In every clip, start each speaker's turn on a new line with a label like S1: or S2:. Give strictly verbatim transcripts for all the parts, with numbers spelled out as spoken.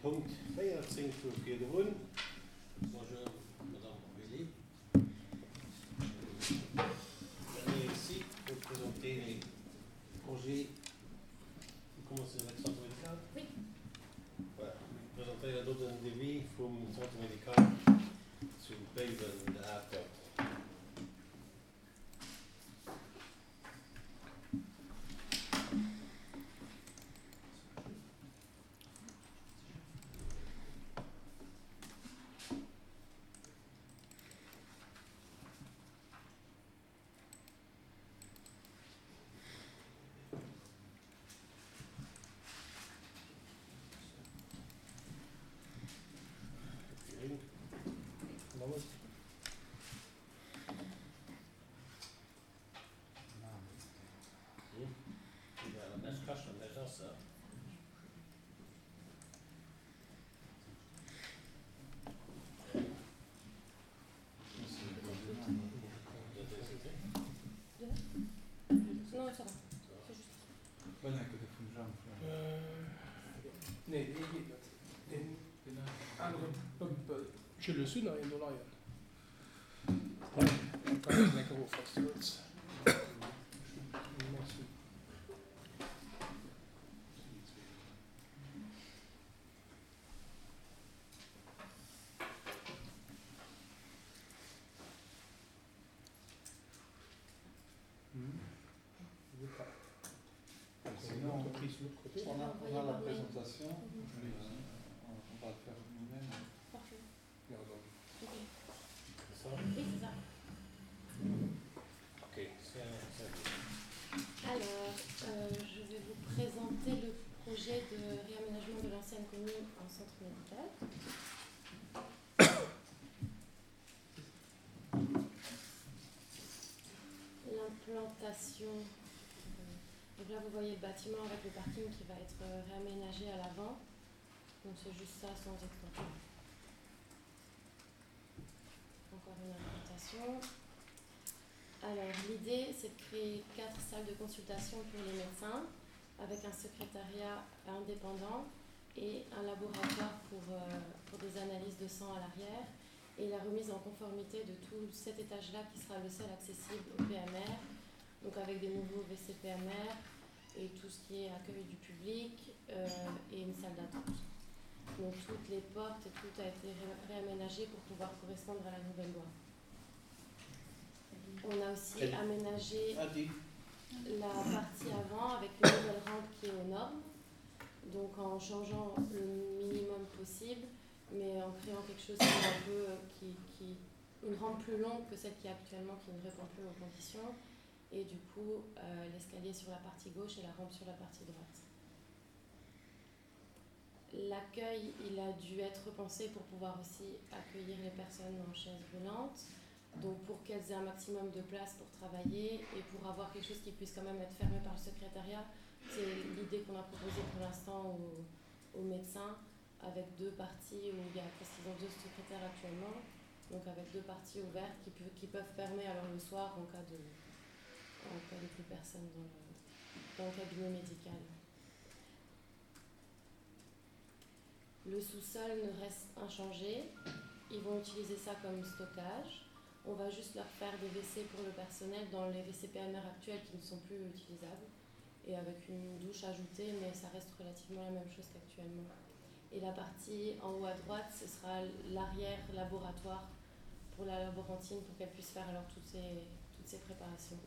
S1: Punkt véierzéng vu virdrun. Bonjour, Madame Aurélie. Venez ici pour présenter les projets. Vous commencez avec le centre médical?
S2: Oui.
S1: Voilà. Vous présentez do den Devis vum Centre médical zu Béiwen, der Atert.
S2: Non, ça va. C'est juste.
S3: Nee, dee geet net. Deen anere Pëmpel. Jules, hunn nach een do leien. Kann ech eng Kéier of, falls du wëlls. Merci.
S4: Sinon,
S3: Entreprise de l'autre côté.
S4: on a, on a la présentation,
S2: Mhm.
S4: mais on, on va le faire nous-mêmes.
S2: Parfait.
S3: Ja, dann.
S2: Ok.
S1: C'est ça?
S2: Oui, c'est ça.
S1: Ok, c'est c'est
S2: Alors, euh, je vais vous présenter le projet de réaménagement de l'ancienne commune en centre médical. L'implantation. euh, Donc là, vous voyez le bâtiment avec le parking qui va être euh, réaménagé à l'avant. Donc c'est juste ça sans extension. Encore une implantation. Alors l'idée, c'est de créer quatre salles de consultation pour les médecins, avec un secrétariat indépendant et un laboratoire pour, euh, pour des analyses de sang à l'arrière, et la remise en conformité de tout cet étage-là qui sera le seul accessible au P M R, donc avec des nouveaux W C P M R et tout ce qui est accueil du public, euh, et une salle d'attente. Donc toutes les portes et tout a été ré-, réaménagé pour pouvoir correspondre à la nouvelle loi. On a aussi
S1: Quel-
S2: aménagé
S1: Ah, dis.
S2: la partie avant avec une nouvelle rampe qui est aux normes, donc en changeant le minimum possible, mais en créant quelque chose qui est un peu, qui, qui, une rampe plus longue que celle qui est actuellement, qui ne répond plus aux conditions, et du coup, euh, l'escalier sur la partie gauche et la rampe sur la partie droite. L'accueil, il a dû être repensé pour pouvoir aussi accueillir les personnes en chaise roulante, donc pour qu'elles aient un maximum de place pour travailler et pour avoir quelque chose qui puisse quand même être fermé par le secrétariat. C'est l'idée qu'on a proposée pour l'instant aux, aux médecins, avec deux parties où il y a, parce qu'ils ont deux secrétaires actuellement, donc avec deux parties ouvertes qui, peut, qui peuvent fermer alors le soir en cas de, en cas de plus personne dans le, dans le cabinet médical. Le sous-sol ne reste inchangé, ils vont utiliser ça comme stockage. On va juste leur faire des W C pour le personnel dans les W C P M R actuels qui ne sont plus utilisables, et avec une douche ajoutée, mais ça reste relativement la même chose qu'actuellement. Et la partie en haut à droite, ce sera l'arrière laboratoire pour la laborantine, pour qu'elle puisse faire alors toutes ces, toutes ces préparations.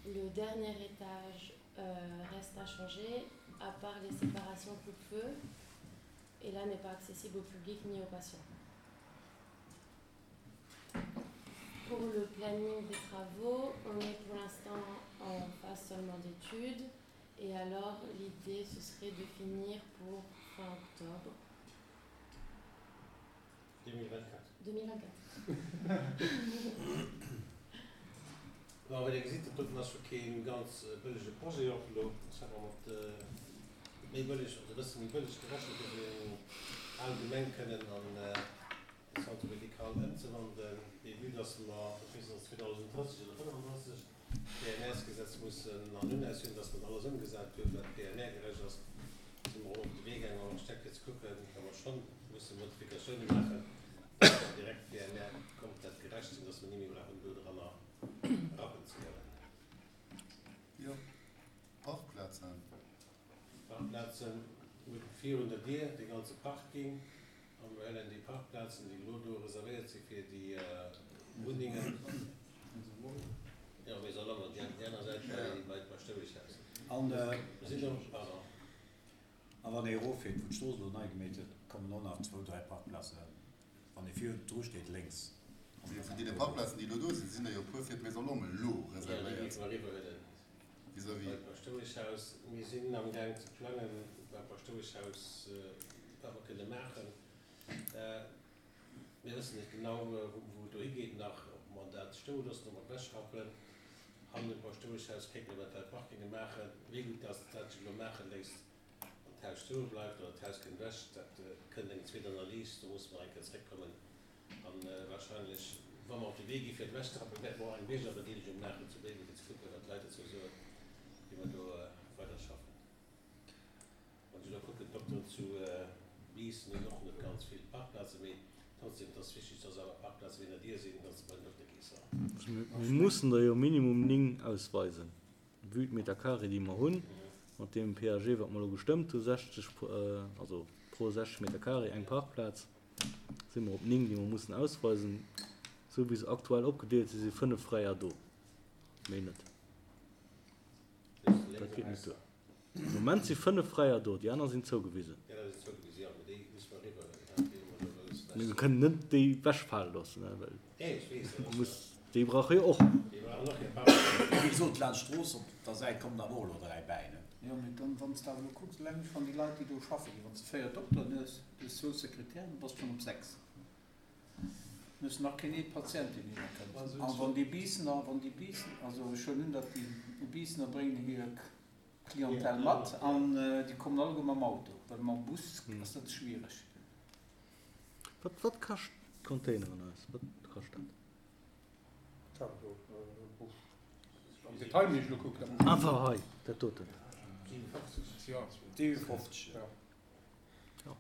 S2: Le dernier étage, euh, reste à changer, à part les séparations coupe-feu, et là n'est pas accessible au public ni aux patients. Pour le planning des travaux, on est pour l'instant en phase seulement d'études, et alors l'idée ce serait de finir pour fin octobre.
S1: deux mille vingt-quatre.
S2: deux mille vingt-quatre.
S1: Bon, wéi Dir gesitt, dat doten ass scho keen ganz bëllege Projet och elo. Ech hat mat, äh, méi bëlleg, also e bësse méi bëlleg gerechnet, fir eng al Gemeng kënnen an, äh, de Centre médical ëmzewandeln. Mee vue dass mer, ich weess nicht, zweitausenddreißig oder fünfunddreißig P M R-Gesetz mussen an Unaus hunn, dass man alles ëmgesat huet, wat P M R-gerecht ass, sind wir op de Wee Modifikatioune maachen, dass mer direkt P M R komplett gerecht sinn, dass mer ni méi brauchen do dranner rappen ze goen.
S5: Jo, Parkplazen.
S1: Parkplazen, mir hu virun der Dier dee ganze Parking a mir huelen déi Parkplazen, déi elo do reservéiert si fir déi Wunnengen, jo, Maison Lommel, déi aner Säit bei d'Paschtoueschhaus.
S6: An
S1: Mir sinn do, pardon.
S6: A wann ee eroffiert, wou d'Strooss elo nei gemeet gëtt, kommen och nach zwou, dräi Parkplazen, wann ee vir dru steet, lénks.
S5: Mee vun deene Parkplazen, déi elo do sinn, sinn der jo e puer fir d'Maison Lommel elo
S1: Jo, déi
S5: reservéiert.
S1: géife mer eriwwerhuelen
S5: Vis-à-vis.
S1: beim Paschtoueschhaus. Mir sinn amgaang ze plangen beim Paschtoueschhaus, wat mer kënne maachen. Mir wëssen net genau, wou et dohi geet nach, ob mer dat stoe loossen, ob mer et ewechrappen. Hannen um Paschtoueschhaus kéinte mer eventuell Parkinge maachen. Wéi gutt dass dat sech elo maache léisst an d'Haus stoe bleift oder d'Haus kënnt ewech, dat kënnt eng zweet Analys. Do musse mer eng Kéier zréckkommen. A warscheinlech, wa mer op de Wee gi fir et ewechzerappen, wäerte mer och eng Biergerbedeelegung maachen zu Béiwen, fir ze kucken, wat d'Leit dozou soen, wéi mer do weiderschaffen. Wann ech elo kucken, d'Dokteren zu Biissen hunn och net ganz vill Parkplazen, mee trotzdem, et ass wichteg, dass awer Parkplaze wéi der Dier sinn, dass se bei den Dokter gees.
S7: Mir mussen der jo minimum néng ausweisen, vue d'Meter carré, déi mer hunn, mat deem P A G, wat mer elo gestëmmt hu, sechzeg, also pro sechzeg Meter carré eng Parkplaz, si mer op néng, déi mer mussen ausweisen. Esou wéi se aktuell opgedeelt sinn, si fënnef fräier do, méi net. Dat geet net duer. Am Moment si fënnef fräier do, déi aner sinn zougewisen. Mee mir kënnen net déi ewechfale loossen, well muss, déi brauche jo och.
S6: Wéi gesot, laanscht d'Strooss op der Säit kommen der och elo dräi bäi, ne?
S4: Jo, mee dann, wann s de awer elo kucks, eleng schonn déi Leit, déi do schaffen ginn, wann s de véier Dokteren hues, du hues zwou Sekretären, da bass de schonn op sechs. Du hues nach keen ee Patient, deen hinner kënnt. A wann déi Biissener, wann déi Biissen, also ech huelen un, datt déi Biissener bréngen hir Clientèle mat an déi kommen alleguer mam Auto, well mam Bus ass dat schwiereg.
S7: Wat, wat kascht d'Containeren eis? Wat kascht dat?
S3: Am Detail muss ech elo kucken.
S7: Einfach hei, dat doten.
S6: siweonfofzeg,
S3: Ja.
S7: Ja.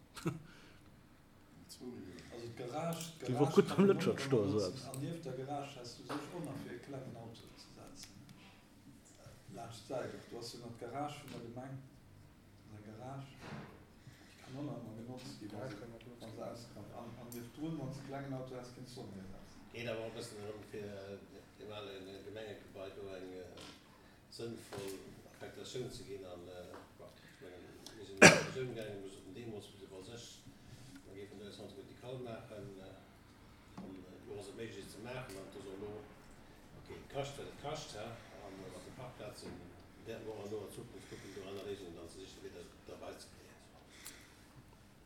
S4: Also d'Garage,
S7: Déi wor gutt beim Lëtschert stoen, esou eppes.
S4: An nieft der Garage häss du sech och nach fir e klengen Auto ze setzen. Laanscht d'Säit och. Du has jo nach d'Garage vun der Gemeng. An der Garage, déi kann och nach ëmmer genotzt ginn, wa se, wa se ausgeraumt. An, an nieft drun, wann s de e klengen Auto häss, kéints du och nach setzen.
S1: Geet awer och e bëssen erëm fir deem ale Gemengegebai do eng sënnvoll Affektatioun ze ginn. An bon, ech mengen, mir sinn an d'Diskussioun gaangen, mir soten deemools, mir si sech, mer géifen do e Centre médical maachen. An elo ass et méiglech, et ze maachen. An et ass och elo, okay, et kascht, wat et kascht, hä, a mat de Parkplazen wäerte mer och an noer Zukunft kucken, do aner Léisungen dann ze sichen, fir dat derbäi ze kréien.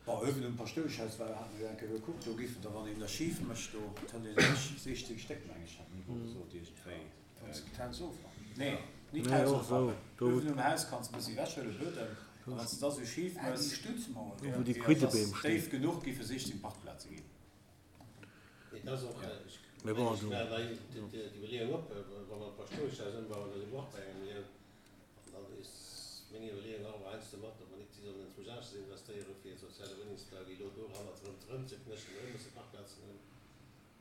S6: Bon, uewen um Paschtoueschhaus war, hat mer jo eng Kéier gekuckt, do géifen der, wann een der schif mécht, do kënnt een sech siechzéng Stéck, meng ech, hat den Nico gesot, iergendwéi.
S4: Wann s de d'Haus ofrappen.
S6: Nee, nit
S7: Nee,
S6: d'Haus
S7: och esou.
S6: ofrappen.
S7: Do wou
S6: Uewen um Haus kanns de e bëssi ewechhuelen, Buedem, a wann s de da sou schif
S4: Ah, déi
S6: méchs,
S4: Stützmauer
S7: do wou déi
S6: déi ass
S7: Quiddebeem stinn.
S6: déif genuch, géife siechzéng Parkplaze ginn.
S1: Et ass och,
S6: Ja.
S1: ech
S7: Mee bon,
S1: mengen,
S7: also,
S1: ech war da d'Iwwerleeung op, wa mer d'Paschtoueschhaus ëmbauen, da si mer och bei engem Millioun. An dann is meng Iwwerleeung och awer heiansdo mat, ob mer net sollen enzwousch aneschters investéieren, fir soziale Wunnengsbau, wéi elo do hannert erëm erëmzeknéchen, erëm musse Parkplazen hunn.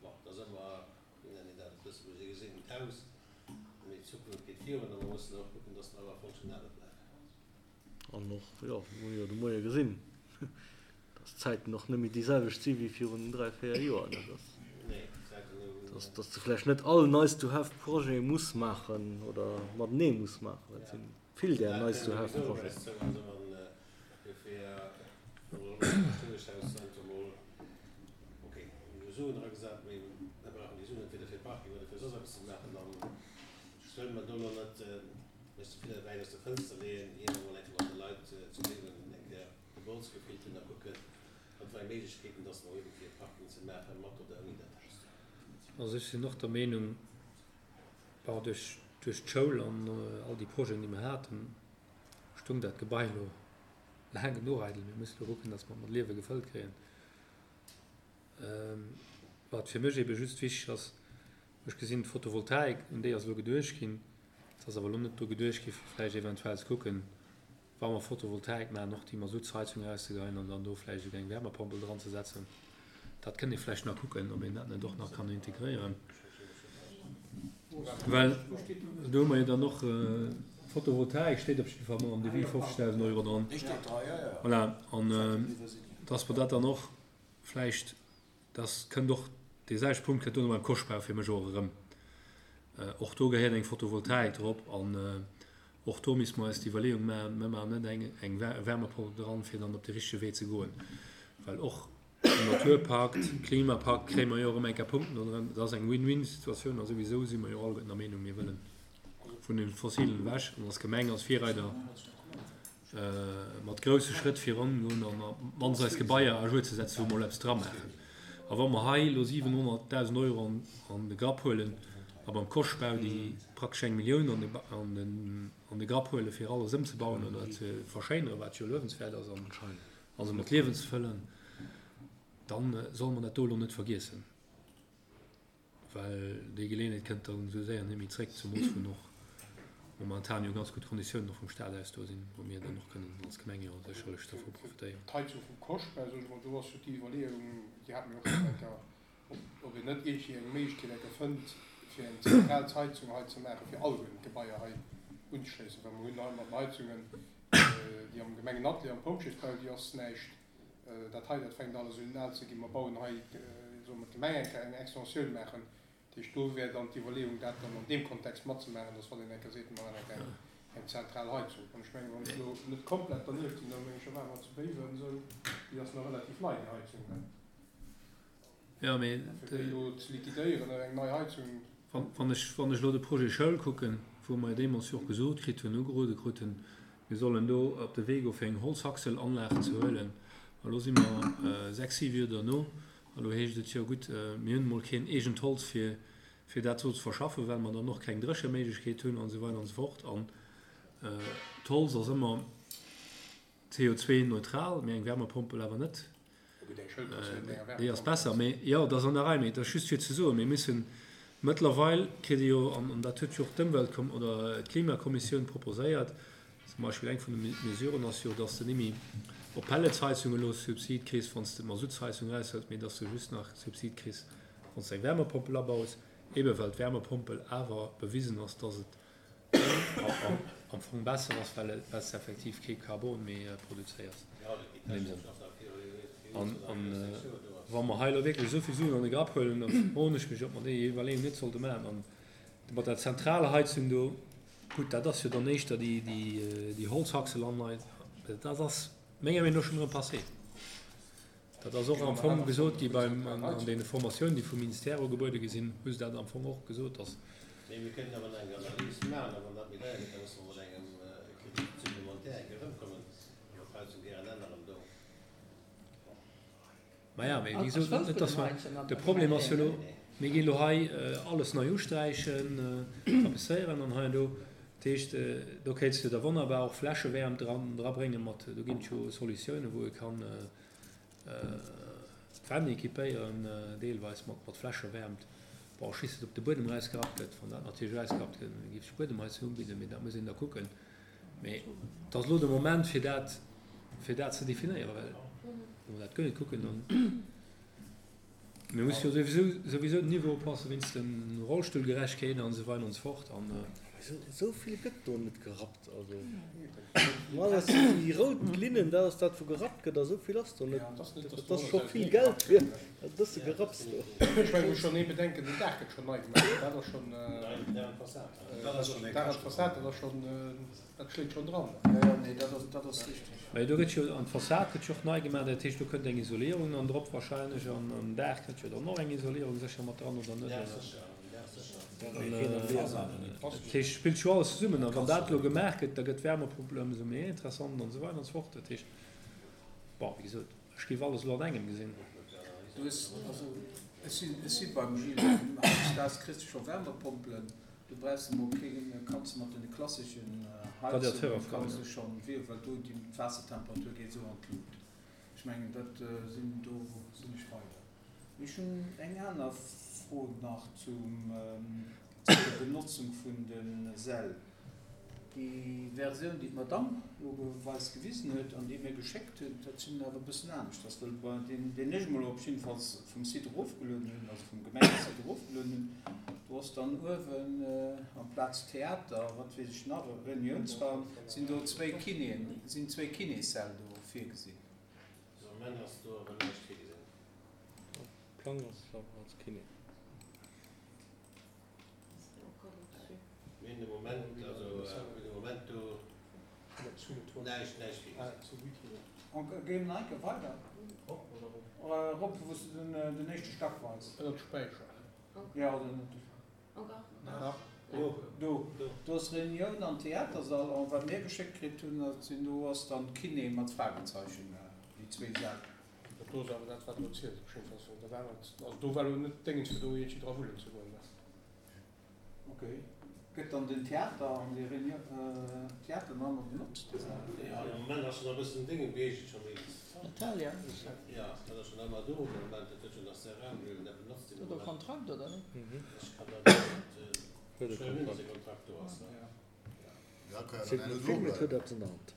S1: Bon, da si mer, wéi nennen een dat op Lëtzebuerg, e geseegent Haus, mee d'Zukunft geet virun a mer mussen och kucken, dass mer awer fonctionnabel bleiwen.
S7: An och, jo, mir hunn jo de Moie gesinn, dass d'Zäiten och net méi déi selwecht si wéi virun dräi, véier Joer, ne, dass,
S1: Nee, d'Zäiten hunn,
S7: dass, dass de vläicht net all Nice-to-have-Projet muss maachen oder matenee muss maachen. Et
S1: ja.
S7: si vill där
S1: Dat kënnt souwisou op
S7: Nice-to-have-Projeten.
S1: eis zou. Also wann dofir Paschtoueschhaus einfach mol, okay, mir hu Suen eragesat, mee mir brauchen déi Suen entweder fir Parking oder fir soss eppes ze maachen, dann wëlle mer do elo net mech ze vill wäit aus de Fënster leeën, ier mer mol eng Kéier mat de Leit zu Béiwen eng Kéier de Bols gefillt hunn a kucken, wat fir eng Méiglechkeeten dass mer hunn, fir Parking ze maachen, mat oder ouni dat Haus do.
S8: Also ech sinn och der Meenung, bon, duerch, duerch d'Schoul an all déi Projeten, déi mer haten, stung dat Gebai elo laang genuch eidel. Mir mussen elo kucken, dass mer et mat Liewe gefëllt kréien. Wat fir mech ebe just wichteg ass, ech gesinn d'Photovoltaik, un déi ass elo geduecht ginn. Et ass awer elo net dru geduecht gi fir vläicht eventuell ze kucken, wa mer Photovoltaik maachen, och déi Masuttsheizung erauszegeheien an dann do vläicht esouguer eng Wärmepompel dran ze setzen. Dat kënnt ee vläicht nach kucken, ob een dat net och nach kann integréieren. Well do hu mer jo dann och, Photovoltaik steet op jidde Fall mol am Devis, fofzegdausend Euro dran. Voilà, an dass mer dat dann och vläicht, dass kënnt och, dee selwechte Punkt kënnt duerno beim Koschtbau fir mech och erëm. Och do gehéiert eng Photovoltaik drop an och do misste mer eis déi Iwwerleeung maachen, Mir maachen net eng eng Wärmepompel dran, fir dann op de richtege Wee ze goen, well och den Naturpakt, Klimapakt kréie mer jo erëm eng Kéier Punkten do dran. Dat ass eng Win-win-Situatioun a souwisou si mer jo alleguerten der Meenung, mir wëlle vun de Fossilen ewech an als Gemeng, als Virreider mat grousse Schrëtt virangoen an op d'mannst eis Gebaier à jour ze setzen, wou mer elo eppes dra maachen. A wa mer hei elo siwenhonnertdausend Euro an de Grapp huelen a beim Koschtbau déi praktesch eng Millioun an de Grapp huelen, fir alles ëmzebauen oder ze verschéineren, wat jo luewenswäert ass, a se mat Liewen ze fëllen, da solle mer dat do elo net vergiessen. Well déi Geleeënheet kënnt dann esou séier net méi zréck, zemools wou och momentan jo ganz gutt Konditiounen och vum Stat aus do sinn, wou mir dann och kënnen als Gemeng jo sécherlech dervu profitéieren.
S9: D'Heizung vum Koschtbau, soe ech emol, do ass jo déi Iwwerleeung, déi hate mir och schonn eng Kéier, ob, ob een net iergendwéi eng Méiglechkeet eng Kéier fënnt, fir eng zentral Heizung hei ze maachen, fir alleguerten d'Gebaier hei unzeschléissen, well mer hunn hei mat den Heizungen, déi am Gemengenatelier am Pompjeesbau, déi ass näischt, dat hei, dat fänkt alles un al ze ginn. Mer bauen hei, soe mer, d'Gemeng eng Kéier eng Extensioun maachen. Dat heescht, do wär dann d'Iwwerleeung, dat dann an deem Kontext matzemaachen, dass wann een eng Kéier seet, mer maachen eng Kéier eng zentral Heizung. An ech mengen, wann ech elo net komplett dernieft sinn, da meng ech, da ware mer zu Béiwen esou, déi ass nach relativ nei, déi Heizung, ne?
S8: Jo, mee.
S9: Fir déi elo ze liquidéieren an eng nei Heizung.
S8: Wann ech, wann ech elo de Projet Schoul kucken, wou mer jo deemools jo och gesot kritt hunn, ugerode krut hunn, mir sollen do op de Wee goe fir eng Holzhackselanlag ze huelen, a lo si mer sechs, siwe Joer derno, a lo heescht et, jo gutt, mir hunn emol keen eegent Holz fir, fir dat do ze verschaffen, well mer dann och keng Drécheméiglechkeet hunn an esou weider an esou fort. An d'Holz ass ëmmer C O zwei neutral, mee eng Wärmepompel awer net. Déi ass besser, mee jo, dat ass an der Rei. Mee et ass just fir ze soen, mir müssen mëttlerweil, kritt ee jo, an dat huet jo och d'Ëmweltkom oder d'Klimakommissioun proposéiert, zum Beispill eng vun de Mesuren ass jo, dass de nimmi op Pelletsheizung elo Subsid kriss, wann s de d'Masuttsheizung eraushëls, mee dass de just nach Subsid kriss, wann s de eng Wärmepompel abaus, ebe well d'Wärmepompel awer bewisen ass, dass et am Fong besser ass, well s de effektiv kee Carbon méi produzéiers an deem Sënn. An wa mer hei elo wierklech esou vill Suen an de Grapp huelen, da froen ech mech, ob mer déi Iwwerleeung net sollte maachen. An mat der Zentralheizung do, gutt, dat ass jo dann éischter déi Holzhackselanlage, dat ass menger Meenung no schonn erëm passé. Dat ass och am Fong gesot gi beim, an deene Formatiounen, déi vum Ministère ugebuede gi sinn, hu se dat am Fong och gesot, dass.
S1: Mee mir kënnen awer nach eng Analys maachen, a wann dat méi deier gëtt, da musse mer mat engem Crédit supplémentaire eng Kéier erëmkommen, wa mer d'Heizung gären änneren do.
S8: Maja, mee wéi gesot, net dass mer, de Problem ass jo elo, mir ginn elo hei alles nei usträichen, tapezéieren an hei an do. Dat heescht, do kéints de da wonnerbar och Fläschewäermt dran, drabréngen mat, do ginn et jo Solutiounen, wou ee kann d'Wänn équipéieren, deelweis mat, mat Fläschewäermt. Bon, ech weess net, ob de Buedem erausgerappt gëtt. Wann dat natierlech erausgerappt gëtt, da géif ech Buedemheizung ubidden, mee dat muss een da kucken. Mee et ass elo de Moment, fir dat, fir dat ze definéieren, well wa mer dat guer net kucken, dann, mir musse jo souwisou, souwisou den Niveau upassen wéinst dem Rollstullgerechkeet an esou weider an esou fort. An.
S7: Esou vill gëtt do net gerappt. Also normalerweis sinn déi rout Linnen, dat ass dat wou gerappt gëtt, a sou vill ass do net. Dat ass scho vill Geld fir dat bësse Gerapps do.
S9: Ech mengen, muss schonn ee bedenken, den Daach gëtt schonn nei gemaach, dat ass schonn, Daach an d'Fassad, dat ass schonn, dat schléit schonn dran.
S4: Jo, jo, nee, dat ass, dat ass richteg.
S8: Mä do gëtt jo, an d'Fassad gëtt jo och nei gemaach, dat heescht do kënnt eng Isolierung dann drop wahrscheinlech an um Daach kënnt jo dann och eng Isolierung sécher mat dran, oder net? Dat heescht, spillt jo alles zesummen. A wann dat elo gemaach gëtt, da gëtt d'Wärmepompel ëmsou méi interessant an esou weider an esou fort. Dat heescht, bon, wéi gesot, ech géif alles elo an engem gesinn.
S4: Du hues, also ech sinn, ech si beim Gilles, hautdesdaags kriss de scho Wärmepompelen, du brauchs emol keng, kanns de mat deene klasseschen Heizungen kanns de schonn, well do déi d'Waassertemperatur geet esou an d'Lut. Ech mengen, dat sinn, do sinn ech bei der. Ech hunn eng aner Fro nach zum, zu der Benotzung vun de Säll. Déi Versioun, déi d'Madame elo eis gewisen huet an déi mir geschéckt huet, dat sinn awer e bëssen anescht. Dass, well bei deen, deen ech emol op jiddefalls vum Site erofgelueden hunn, also vum Gemengesite erofgelueden hunn, do ass dann uewen amplaz Theater, wat weess ech nach, e Reuniounsraum, sinn do zwéi Kinéen, sinn zwéi Kinéssäll do virgesinn.
S1: Also am Moment ass do awer näischt virgesinn.
S7: Am Plang ass et awer als Kiné.
S1: Mir hunn de Moment, also mir hunn de Moment do näischt, näischt virgesinn.
S4: Géi mol enke weider. Erop, wou s de den éischte Stack weis.
S9: Ënnert Späicher.
S4: Jo, oder ënnert de.
S2: Encore?
S4: Do. Do ass Reunioun an Theatersall. An wat mir geschéckt kritt hunn, dat sinn, do ass dann Kiné mat Fragezeichen, déi zwee Säll.
S9: Dat do ass awer dat, wat elo zielt op jiddefalls. Dat anert, also do war elo net Déngens, fir do iergendwéi dra wullen ze goen.
S4: Ok. Gëtt dann den Theater an déi Reunion, Theater nach ëmmer benotzt?
S1: Jo, de Moment ass schonn e bëssen Dénge geegent scho, mee.
S10: Natalia?
S1: Jo, dat ass schonn ëmmer do de Moment. Dat huet schonn nach Serran, mee dat benotzt de
S10: Huet e
S1: Moment.
S10: Kontrakt oder net?
S1: Ech kann dat net, ech wëll net, dass e Kontrakt do ass, ne?
S5: Ja, kann ja
S7: Seet
S5: dann
S7: net
S5: herno
S7: vill,
S5: do
S7: mee et huet
S5: bleiwen.
S7: eppes an der Hand.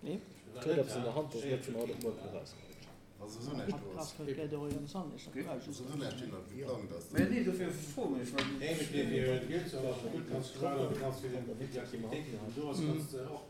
S10: Nee?
S7: Et huet eppes an der Hand, dass net vun haut op muer kann erausgerutscht.
S5: Wa souwisou näischt do ass. Souwisou näischt hin, wat geplangt ass.
S4: Mä nee, dofir froen ech, well.
S1: Nee, mee fir fir Geld ze erlassen, gutt, kanns du maachen, du kanns fir den fir déi Aktivitéiten, déi do ass, kanns de och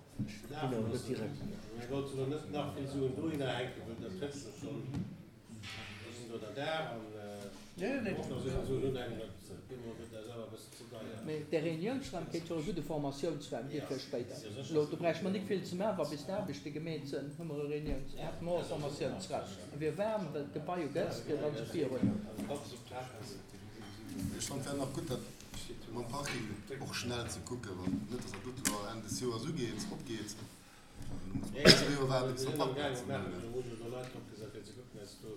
S1: lafen loossen. Mir wollten elo net nach vill Suen dohinner hänken, well dat trëfft sech schonn. Do sinn do der Dag an och nach esou vill Suen unhänken, dat gëtt mer gëtt eis awer e bëssen ze deier.
S10: Mee dee Reuniounsraum kéint jo e gudde Formatiounsraum gi fir spéider. Elo, do bräichte mer nik vill ze maachen, wa bis d'Aarbechte gemeet sinn, hu mer e Reuniouns-, hätte mer och e Formatiounsraum. E wier waarm, well d'Gebai jo gehëtzt gëtt an esou virun.
S5: Ech fannen et wär nach gutt, dat mam Parking och schnell ze kucken, wann net, dass dat dote lo Enn des Joers ugeet, opgeet. An da muss mer zwee Joer waarden, bis
S1: Mir
S5: mer
S1: sinn am gaange
S5: Parkplazen
S1: maachen,
S5: hunn.
S1: do muss elo Leit opgesat fir ze kucken, eis do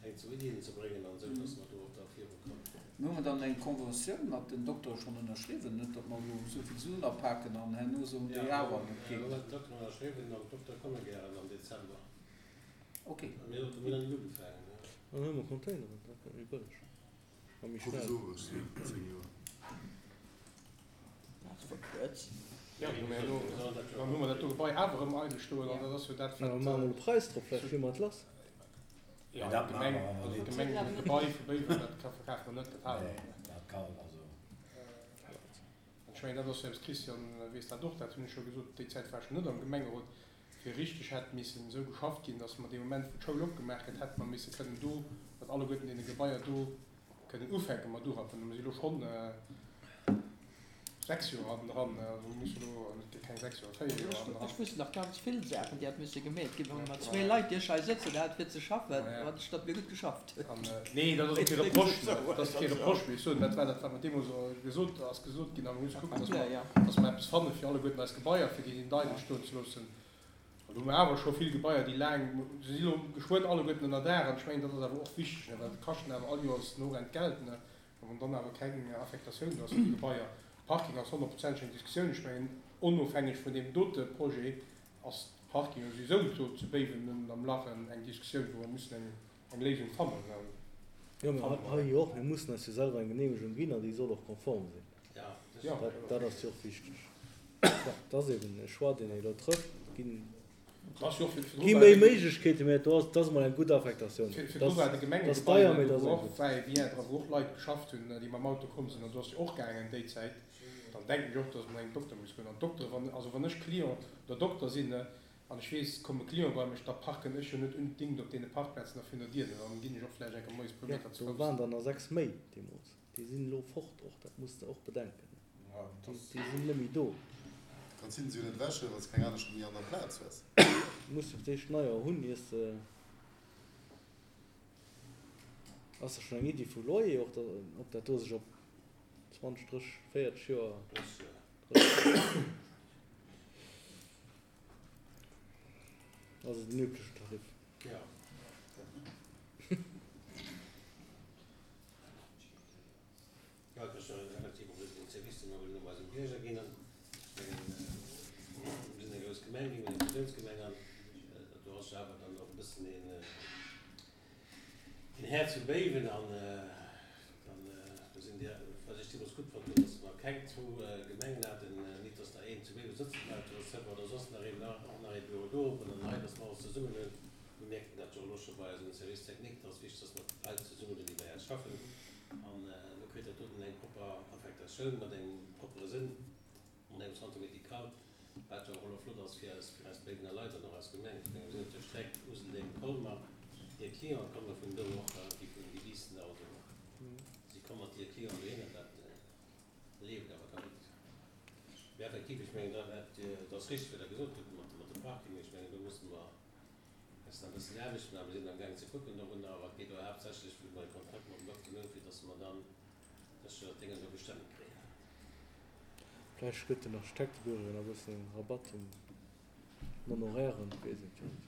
S1: eng zwou Iddien ze bréngen an esou, dass mer do och da virukommen.
S4: Hu mer dann eng Conventioun mat den Doktere schonn ënnerschriwwen? Net, datt mer elo esou vill Suen apaken an herno soen déi awer,
S1: Jo,
S4: dat
S1: mir
S4: geet
S1: hu
S4: net.
S1: mat den Dokteren ënnerschriwwen an d'Doktere komme gären am Dezember.
S4: Okay.
S1: A mir hunn nach net ugefaangen.
S7: Dann hu mer Containeren, dat gëtt méi bëlleg a méi schnell.
S5: Provisoresch, zéng Joer.
S10: Dat ass verkürzt.
S9: Jo, dann hu mer elo, dann hu mer dat do Gebai awer erëm eidel stoen an dat ass jo dat,
S7: Ja,
S9: wat.
S7: maache mer e Präis drop, vläicht kritt mer et lass.
S9: Jo,
S6: Dat
S9: d'Gemeng,
S6: maache mer awer
S9: also
S6: net.
S9: d'Gemeng, dat Gebai vu Béiwen, dat ka verkafe mer net, dat hale mer.
S6: Nee, dat kann, also.
S9: Ech mengen, dat ass jo eppes, Christian weess dat och, dat hunn ech scho gesot, déi Zäit war ech net am Gemengerot, fir richteg hätt missen esou geschafft ginn, datt mer dee Moment, wou d'Schoul opgemaach gëtt, hätte mer misse kënnen do mat alleguerten deene Gebaier do kënnen ufänke mat urappen. Mir si elo schonn sechs Joer hannendran, also mir musse elo, net keng sechs Joer, véier Joer hannendran.
S10: Ech wusst nach ganz vill Saachen, déi hätt misse gemeet ginn, wa mer mat zwee Leit, déi ech hei sëtzen hat, fir ze schaffen, wat ech, datt mir gutt geschafft hunn.
S9: An, nee, dat ass och kee Reproche, dat ass kee Reproche, mee ech soen, dat war dat, wat mer deemools gesot, ass gesot ginn, a mir musse kucken, datt mer, datt mer eppes fanne fir alleguerten eis Gebaier, fir déi net eidel stoen ze loossen. An do hu mer awer scho vill Gebaier, déi laang, se si elo geschwënn alleguerten ënner Daach, an ech mengen, dat ass awer och wichteg, ne, well et kaschten awer all Joers no Rent Geld, ne, a wann dann awer keng Affektatioun do ass fir déi Gebaier. Parking ass honnertprozenteg eng Diskussioun. Ech mengen, onofhängeg vun deem dote Projet ass Parking jo souwisou do zu Béiwen am Lach eng Diskussioun, wou mer mussen eng, eng Léisung fannen.
S7: Jo, mä hei jo och, mir mussen eis jo selwer eng Genehmegung ginn an déi soll och konform sinn.
S9: Ja.
S7: Dat, dat ass jo och wichteg. Dat ass eben e Choix, deen ee elo trëfft. Ginn, gi méi Méiglechkeeten, mä do ass, dat ass emol eng gutt Affektatioun.
S9: Fir
S7: Dat
S9: virdru war de
S7: ass
S9: Gemengegebai,
S7: deier, mä dat
S9: wou
S7: ass eng
S9: och
S7: gutt.
S9: Va-et-vient dra, wou och Leit geschafft hunn, déi mam Auto komm sinn, an do ass jo och gaangen déi Zäit. Dann denken ech och, dass man engem Dokter muss goen. An d'Doktere, wann, also wann ech Client oder Dokter sinn, an ech weess, et komme Client bei mech, da parken ech jo net unbedingt op deene Parkplazen da virun der Dier, dann ginn ech och vläicht eng Kéier moies e puer
S7: Jo,
S9: Meter ze
S7: do
S9: Fouss.
S7: waren der nach sechs méi deemools. Déi sinn elo fort och, dat muss de och bedenken. Déi, déi sinn net méi do.
S5: Kanns hinne se jo net ewechhuelen, wann s de keng aner scho méi an der Plaz hues.
S7: Du muss jo fir d'éischt neier hunn, iers de. Ass da schonn eng Iddi vu Loyer och, ob dat do sech op zwanzeg, drësseg, véierteg Joer. Drësseg Joer. Also den üblechen Tarif.
S1: Jo. Jo, et ass jo effektiv och den Service, dee mer wëllen um eisem Bierger ginn. An ech mengen, mir sinn eng grouss Gemeng ginn, mir sinn eng Fusiounsgemeng an do ass jo awer dann och e bëssen een, een Här zu Béiwen an dann do sinn déi Wat ech deemools gutt fonnt hunn, dass mer keng zwou Gemengen haten, nit dass der een zu Béiwe sëtzen bleift oder Sëlwer oder soss nach een, och nach ee Büro do op an dann hei, dass mer alles zesummen hunn. Mir mierken dat jo elo scho bei eisem Service technique, dass wichteg, dass mer d'Leit zesummen hunn, déi bei eis schaffen. An elo kritt dat doten eng propper Affektatioun mat engem proppere Sënn, mat engem Centre médical, wat jo och elo flott ass fir eis, fir eis Béiwener Leit an och eis Gemeng. Ech menge mir sinn op der Streck Useldeng-Colmer, hir Clienten komme vun do och, déi vun déi Biissener also och. Si komme mat hire Clienten dohinner, dat leeft awer da gutt. Mee effektiv, ech mengen, dat dat ass richteg, wat Der gesot hutt mat mat de Parkingen. Ech mengen, do musse mer eis nach e bëssen Aarbecht maachen. Mir sinn amgaangen ze kucken dorunner, awer et geet och haaptsächlech, wou mer e Kontrakt mam Dokter hunn, fir dass mer dann sécher dat Déngen do gestëmmt kréien.
S7: Vläicht gëtt den Architektebüro jo nach e bëssen Rabatt um Honorairen, weess et jo net.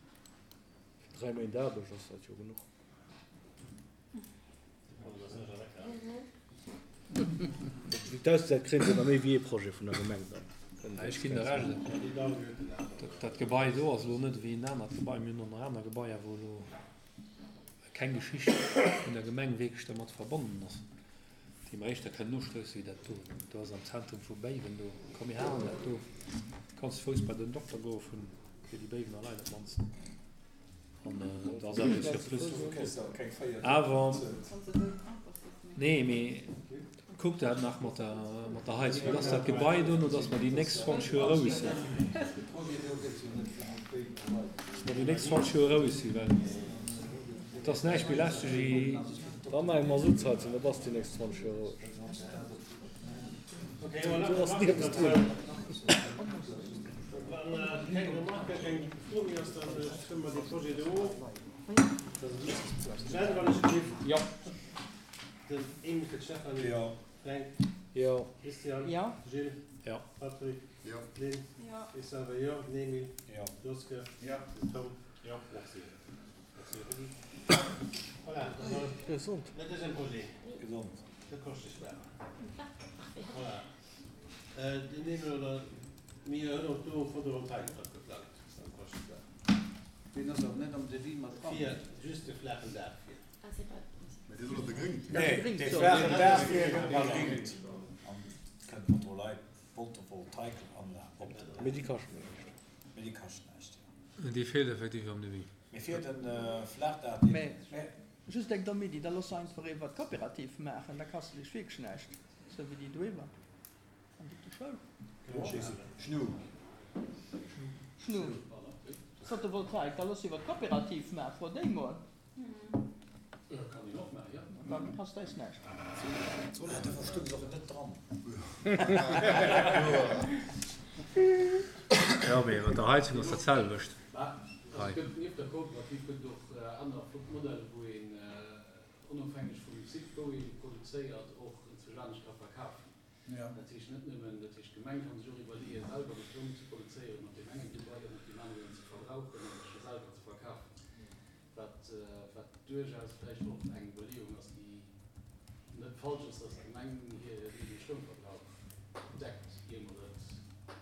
S7: Fir dräi Méint Aarbecht ass dat jo genuch. Wéi et ausgesäit, kréien se nach méi wéi ee Projet vun der Gemeng dann.
S8: Ech ginn der Recht, dat Gebai do ass elo net ewéi en anert Gebai. Mir hunn och nach aner Gebaier, wou elo keng Geschicht vun der Gemeng wierklech dermat verbonnen ass, déi mer éischter kënnen ustousse wéi dat do. Do ass am Zentrum vu Béiwen do, komm mir halen dat do, kanns ze Fouss bei den Dokter goe vun fir déi Béiwener Leit op d'mannst. An do ass awer e Surplus. Awer, nee, mee kuck dat nach mat der, mat der Heizung, dass dat Gebai dono, dass mer déi nächst zwanzeg Joer roueg sinn. Dass mer déi nächst zwanzeg Joer roueg sinn, well et ass näischt méi lästeg wéi.
S7: Da maache mer Masutsheizung, da bass de déi nächst zwanzeg Joer roueg. Do ass ni eppes drun.
S1: Wann keng Remarken, keng Fro méi ass, da stëmme mer dee Projet do of. Jeanne, wann ech gelift.
S8: Jo.
S1: Den Emil fir d'Stéphanie.
S6: Jo.
S1: Fränk.
S7: Jo.
S1: Christian.
S10: Jo.
S1: Gilles.
S8: Jo.
S1: Patrick.
S5: Jo.
S1: Lynn.
S11: Jo.
S1: Ech selwer jo. Den Emil.
S6: Jo.
S1: Joske.
S4: Jo.
S1: Den Tom. Jo. Merci. Merci Rudi. Voilà, dann ass
S7: Gesond.
S1: le deuxième projet.
S6: Gesond.
S1: De Koschtesparer. Voilà. Den Emil oder mir hunn och do Photovoltaik dra geplangt beim Koschtesparer.
S4: Deen ass awer net am Devis mat dran.
S1: Fir just de flaachen Daach fir.
S2: Ah, c'est pas.
S5: Mee dee soll och begréngt ginn.
S6: Nee, dee flaachen Daach fir gëtt begréngt. An kënnt Photovoltaikanlag op den Daach.
S7: Mee déi kaschten näischt.
S6: Mee déi kaschten näischt, jo.
S8: Déi feelt effektiv am Devis.
S6: Mee fir den Flaachdaach, dee.
S10: Mee just eng domm Iddi, da looss se einfach iwwer d'Kooperativ maachen, da kascht se dech wierklech näischt, sou wéi déi doiwwer an der Schoul.
S6: Schnu.
S10: Schnu. Photovoltaik, da looss iwwer d'Kooperativ maachen, fro déi mol.
S12: Kann een och maachen, jo.
S10: Da kascht eis näischt.
S6: Da verstoung se och net dran.
S8: Jo, mee mat der Heizung ass dat selwecht.
S12: Also et gëtt nieft der Kooperativ gëtt et och aner flott Modeller, wou een onofhängeg vum Site, wou ee produzéiert, och inzwousch anescht ka verkafen. Dat heescht net nëmmen, dat heescht d'Gemeng ka sech och iwwerleeën, selwer de Stroum ze produzéieren op deem engen Gebai an op deem aneren ze verbrauchen an sech e selwer ze verkafen, wat, wat duerchaus vläicht och eng Iwwerleeung ass, déi net falsch ass, dass d'Gemeng hir eegene Stroumverbrauch deckt, ier mer et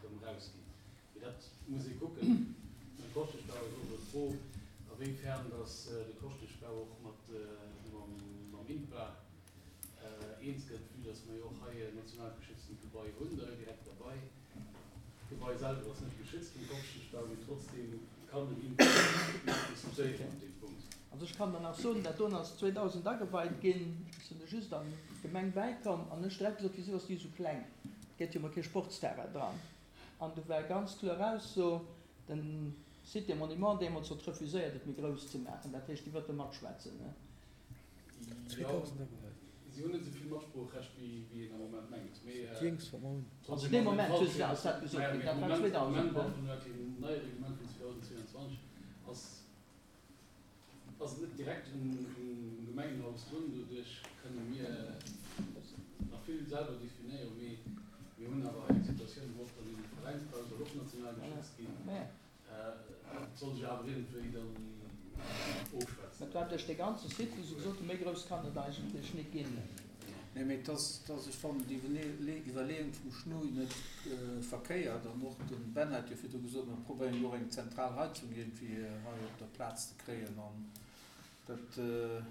S12: erëm erausginn. Mee dat muss ee kucken. Beim Koschteschbau ass och elo d'Fro, a wéi fern dass de Koschteschbau och mat mam INPA eens gëtt, vue dass mer jo och hei en national geschütztent Gebai hunn, da direkt derbei. D'Gebai selwer ass net geschützt vum Koschteschbau, mee trotzdem kann den INPA mat diskutéieren op deem Punkt.
S10: Also ech kann der nach soen, dat doen ass zweedausend ageweit ginn, ech sinn du just an d'Gemeng bäikomm an ech direkt gesot, wisou ass déi esou kleng, et gëtt jo mol kee Sportsterrain dran. An du war ganz kloer Ausso, den Site des Monuments deemools huet refuséiert et méi grouss ze maachen, dat heescht déi wëllte matschwätzen.
S12: Jo, si hunn net esou vill Matsproochrecht wéi een am Moment mengt, mee
S10: Also dee Moment hu se ass dat gesot ginn, dat war zweedausend.
S12: Am neie Reglement vun zweedausendzweianzwanzeg ass ass et net direkt um Gemengenhaus drun, doduerch kënne mir nach vill selwer definéieren, mee mir hunn awer hei eng Situatioun, wou och dann eben de Veräinsbau soll och national geschützt ginn. Dat soll sech awer iergendwéi dann ofschwätzen.
S10: Dat war duerch dee ganze Site, wou se gesot hunn, méi grouss kann et eigentlech net ginn.
S4: Nee, mee et ass, et ass, ech fannen déi Iwwerleeung vum Schnui net verkéiert. An och de Ben hat jo virdru gesot, mer probéieren jo och eng zentral Heizung iergendwéi hei op der Plaz ze kréien. An Dat,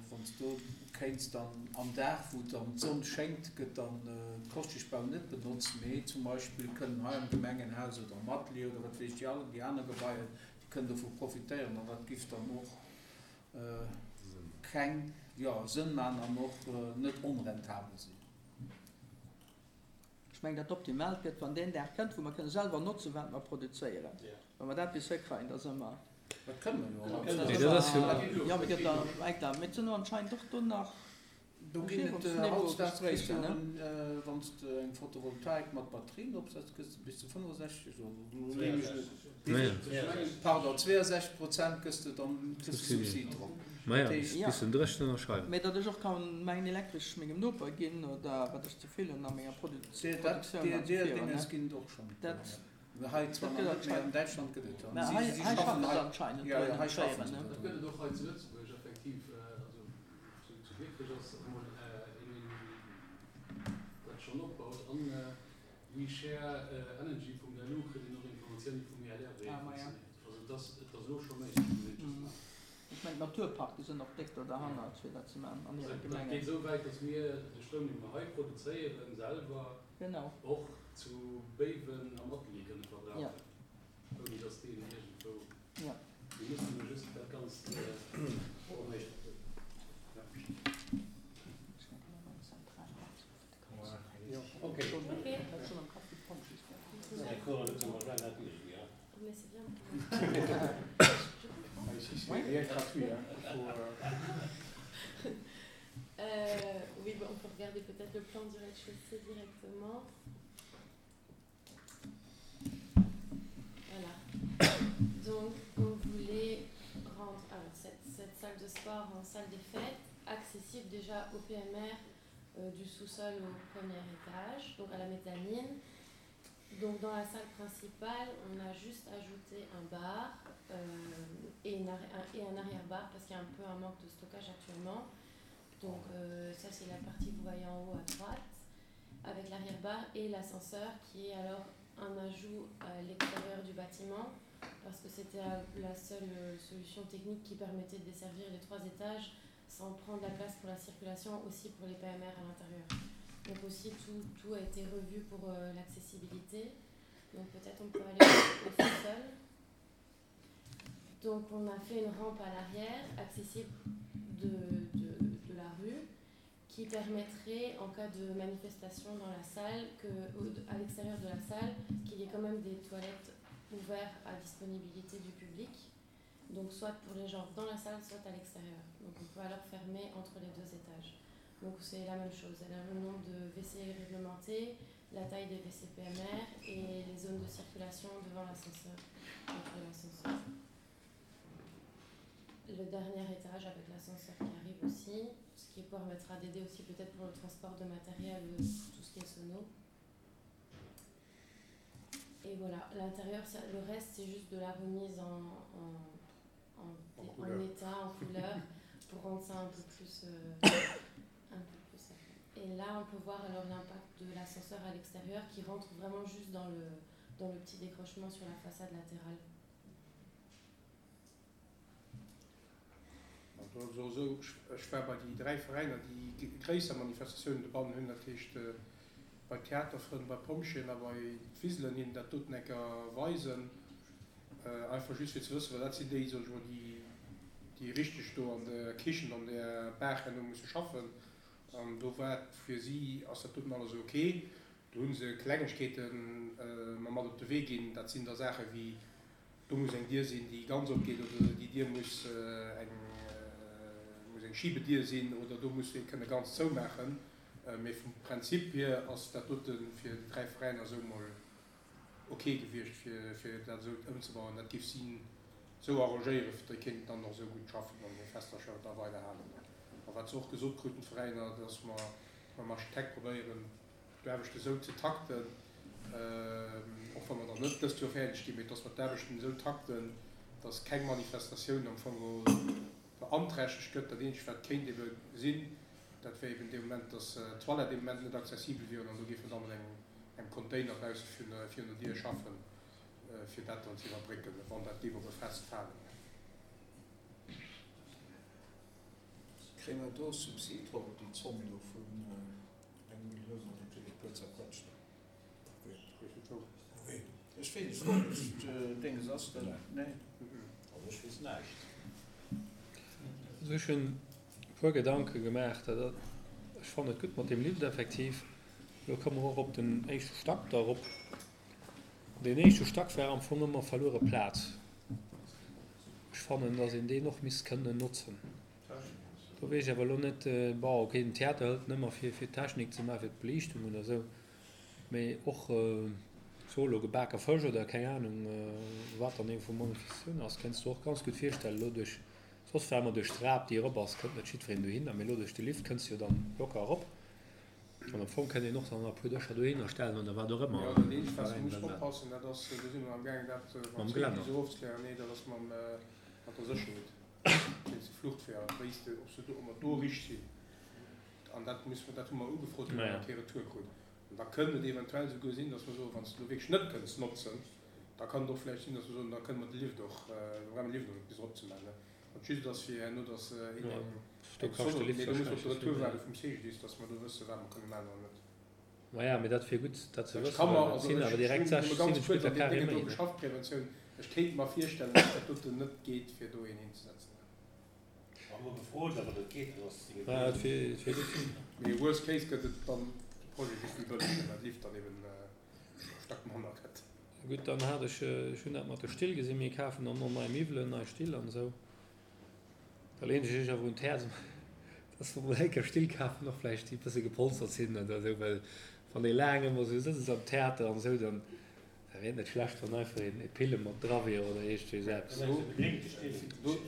S4: wann s do kéints dann am Dag, wou dann d'Sonn schéngt, gëtt dann d'Koschtischbau net benotzt, mee zum Beispill kënnen hei am Gemengenhaus oder am Atelier oder wat weess ech, déi all déi aner Gebaier, déi kënnen dovu profitéieren an dat giff dann och keng, jo, Sënn maachen an och net onrentabel sinn.
S10: Ech mengen, dat Optimaalt gëtt, wann deen Dag kënnt, wou mer kënne selwer notzen, wat mer produzéieren. Wa mer dat bis hikreien, da si mer.
S4: Dat kënne mer jo.
S8: Nee, dat ass jo.
S10: Jo, mee gëtt da eng, mee et sinn anscheinend och do nach
S4: Do ginn et hautdesdaags kriss du, wann s de eng Photovoltaik mat Batterien opsetz, kriss de bis zu fënnefosechzeg oder, pardon, zweeënsechzeg Prozent gëss de dann, kriss de Subsid drop.
S8: Maja, bis den dréchnen ënnerschreiwen.
S10: Mee datt ech och kann mäin Elektresch mengem Noper ginn oder wat ech ze vill hunn a menger Produktioun an ze
S4: Deer Dinges ginn et och schonn.
S10: Dat.
S4: Hei zwar nach net, mee an Däitschland gëtt et.
S10: Mä hei hei schaffen se anscheinend
S4: Jo,
S10: drun,
S4: hei schaffen
S10: Schéieren,
S4: se
S10: ne?
S12: Dat gëtt et och hei zu Lëtzebuerg effektiv. Also zu zu Dikrech ass emol een, deen dat schonn opbaut. An WeShareEnergy punkt L U kritt een och Informatioune vum I L R, wéi et
S10: Ah, maja.
S12: funktionéiert. Also et ass et ass elo scho méiglech, muss een just maachen.
S10: Ech mengen d'Naturparke sinn och déck do derhannert, fir dat ze maachen an hire
S12: Dat
S10: Gemengen.
S12: geet esou wäit, datt mir de Stroum, dee mer hei produzéieren, selwer
S10: Genau.
S12: och zu Béiwen am Atelier kënne verbrauchen,
S10: Ja.
S12: ouni datt deen iergendwou.
S10: Ja.
S12: Mir mussen elo just dat Ganzt
S1: Okay.
S2: Okay.
S9: Mais c'est bien. Ah, ici, c'est rien gratuit. Hein. Il faut, euh...
S2: Euh, oui, bon, on peut regarder peut-être le plan du rez-de-chaussée directement. Voilà. Donc, on voulait rendre alors, cette, cette salle de sport en salle des fêtes, accessible déjà au P M R, euh, du sous-sol au premier étage, donc à la mezzanine. Donc dans la salle principale, on a juste ajouté un bar, euh, et, une arri-, un, et un arrière-bar parce qu'il y a un peu un manque de stockage actuellement. Donc, euh, ça c'est la partie que vous voyez en haut à droite, avec l'arrière-bar et l'ascenseur qui est alors un ajout à l'extérieur du bâtiment parce que c'était la seule, euh, solution technique qui permettait de desservir les trois étages sans prendre la place pour la circulation, aussi pour les P M R à l'intérieur. Donc aussi tout, tout a été revu pour, euh, l'accessibilité. Donc peut-être on peut aller au, au sous-sol. Donc on a fait une rampe à l'arrière, accessible de, de, de la rue, qui permettrait, en cas de manifestation dans la salle, que, au, à l'extérieur de la salle, qu'il y ait quand même des toilettes ouvertes à disponibilité du public. Donc soit pour les gens dans la salle, soit à l'extérieur. Donc on peut alors fermer entre les deux étages. Donc c'est la même chose, elle a le nombre de W C réglementés, la taille des W C P M R et les zones de circulation devant l'ascenseur, entre l'ascenseur. Le dernier étage avec l'ascenseur qui arrive aussi, ce qui permettra d'aider aussi peut-être pour le transport de matériel, tout ce qui est sono. Et voilà, l'intérieur, ça, le reste c'est juste de la remise en, en, en,
S9: En
S2: en
S9: couleur.
S2: état, en couleur, pour rendre ça un peu plus, euh, un peu plus sérieux. Et là, on peut voir alors l'impact de l'ascenseur à l'extérieur qui rentre vraiment juste dans le, dans le petit décrochement sur la façade latérale.
S9: Also, so, ech war bei déi dräi Veräiner, déi g-, gréisser Manifestatiounen dobannen hunn, dat heescht, äh, bei Theaterfrënn, bei Pompjeeën a bei Wiselen hin dat doten enker weisen. Äh, einfach just fir ze wëssen, well dat sinn déi, sag ich mal, déi, déi richtig do an der Kichen, an der Bar herno musse schaffen. An do war fir si, ass dat doten alles okay. Do hunn se Klengegkeeten, äh, ma mat op de Wee ginn. Dat sinn da Saache wéi, do muss eng Dier sinn, déi ganz opgeet, oder déi Dier muss, äh, eng, äh, muss eng Schiebedier sinn, oder do muss ee kënne ganz zoumaachen. Äh, mee vum Prinzip hier ass dat doten fir déi dräi Veräiner so mol okay gewiescht, fir, fir dat esou ëmzebauen. Dat géif si so arrangéieren, fir déi kéinten dann noch so gut schaffen an hir Festercher da weiderhalen. A wat se och gesot kruten, d'Veräiner, dass mer mam Architekt probéieren, d'Aarbechte sou ze takten, ähm, och wann mer dann net dëst Joer fäerdeg ginn, mee dass mer d'Aarbechten sou takten, dass keng Manifestatioun am Fong beanträchtegt gëtt. Dat eenzegt, wat kéint ebe sinn, dat wär eben dee Moment, dass, äh, d'Toilette dee Moment net accessibel wieren an do géifen dann mat engem, engem Container bausse fir, fir no Dier schaffen, äh, fir dat dann ze iwwerbrécken, wann dat géif op e Fest falen.
S4: Kréie mer do Subsid drop op déi Zomm do vun eng Millioun an e puer zerquetschten? Ech weess, ech froen mech, Dénges ass dat? Nee.
S6: Also ech weess näischt.
S8: Also ech hunn e puer Gedanke gemaach. Dat, ech fannen et gutt mat deem Lift effektiv. Elo komme mer och op den éischte Stack da erop. Deen éischte Stack war am Fong ëmmer verluere Plaz. Ech fannen, datt een deen och misst kënnen notzen. Do weess ech awer elo net, bon, okay, den Theater hëlt en ëmmer fir, fir d'Technik ze maachen, fir d'Beliichtung oder esou, mee och, so elo gebake Fësch oder keng Anung, wat dann ee vu Manifestatioun ass, kéints du och ganz gutt virstellen, elo duerch, soss war ëmmer duerch d'Trap, déi erop ass, kënnt net jiddwereen dohinner, mee elo duerch de Lift kënns du jo dann locker erop. An am Fong kënnt een och dann nach e puer Dëscher dohinner stellen oder wat och ëmmer.
S9: Jo, dat eenzegt, wat s de muss oppassen, dat ass, do si mer amgaangen, dat mam
S8: Mam Geländer.
S9: C I S ofzeklären, nee, dat ass mam, mat der Sécherheet, wéinst de Fluchtweeër, wéi s de, ob se do, ob mer do richt sinn. An dat muss, dat hu mer ugefrot, hu mer
S8: Naja.
S9: nach kee Retour krut. An da kënnt et eventuell souguer sinn, datt mer soen, wann s de elo wierklech net kënns notzen, da kann et och vläicht sinn, datt mer soen, da kënne mer de Lift och, da brauche mer de Lift och net bis erop ze maachen, ne. Wat just ass fir herno, datt een
S8: Ja,
S9: eng
S8: do
S9: eng
S8: kascht de
S9: Sonne,
S8: Lift
S9: mee do muss mer op
S8: wahrscheinlech
S9: de
S8: vill
S9: Retour
S8: méi.
S9: waarde vum C G D I S, datt mer do wësse wat mer kënne maachen oder net.
S8: Maja, mee dat wier gutt, dat ze
S9: Ech
S8: wëssen,
S9: ka mer,
S8: well et
S9: also
S8: sinn
S9: ech
S8: awer direkt
S9: hunn nëmme
S8: sechs,
S9: ganz
S8: siwen
S9: kuerz
S8: Meter
S9: an deem
S8: carré
S9: Déngen do
S8: méi, ne?
S9: geschafft, Preventioun, ech kéint mer virstellen, datt dat doten net geet, fir do een hinzesetzen.
S1: Wa mer gefrot, awer dat geet, dann ass et
S8: Ja, et wier, et wier gutt.
S9: Mee worst case gëtt et dann de Projet just méi bëlleg, well de Lift dann eben e Stack manner gëtt.
S8: Gutt, dann hat ech, ech hunn dat mat de Still gesinn, mir kafen dann och nei Miwwelen, nei Still an esou. Da leen ech iech awer un d'Häerz, dass mer mol eng Kéier Still kafen, och vläicht déi e bësse gepolstert sinn oder esou, well wann ee laang ëmmer esou sëtzt am Theater an esou, dann da wier et net schlecht, wann einfach een e Pille mat dra wier oder iergendwéi esou eppes.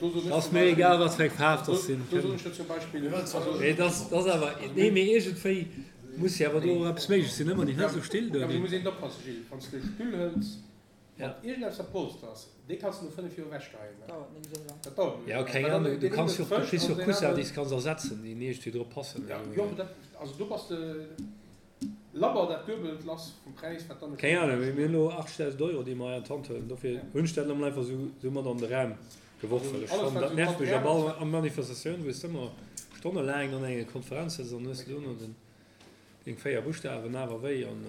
S9: Do
S8: Ass mir egal, wat fir eng Faarf dass sinn.
S9: Do soen ech der zum Beispill, also.
S8: Mee dass ass awer, nee, mee iergendwéi muss jo awer do och eppes méiglech sinn, ëmmer déi net esou Still do.
S9: Jo, mee do muss een oppassen, Gilles, wann s de e Stull hëls,
S8: Ja.
S9: mat iergendeppes wat Polster ass, dee kanns de no fënnef Joer ewechgeheien.
S10: Dauert net esou laang.
S9: Dat dauert net
S8: Ja,
S9: esou laang.
S8: keng
S9: Well dann
S8: Ahnung, du
S9: deen een
S8: kanns
S9: huet
S8: jo och, du
S9: frësch
S8: kriss
S9: an
S8: jo och
S9: deen
S8: Coussin,
S9: aneren.
S8: déi s kanns ersetzen, déi iergendwéi drop passen.
S9: Ja, jo, mee dat, also do bass de labber dat Duebelt lass vum Präis, wat dann e
S8: Keng
S9: Stull
S8: Ahnung, mee
S9: kascht.
S8: mir hunn elo achtzegdausend Euro, déi mer hei an d'Hand huelen. Dofir
S9: Ja.
S8: hunn ech dat elo mol einfach esou, esou mat an de Raum geworf,
S9: Also
S8: well ech
S9: alles,
S8: fannen,
S9: wat
S8: dat
S9: esou
S8: nervt mech op
S9: Material
S8: all an Manifestatioun, wou s de ëmmer stonnelaang an enger Konferenz sëtz an hues dono den, deng véier Buschtawen awer wéi an,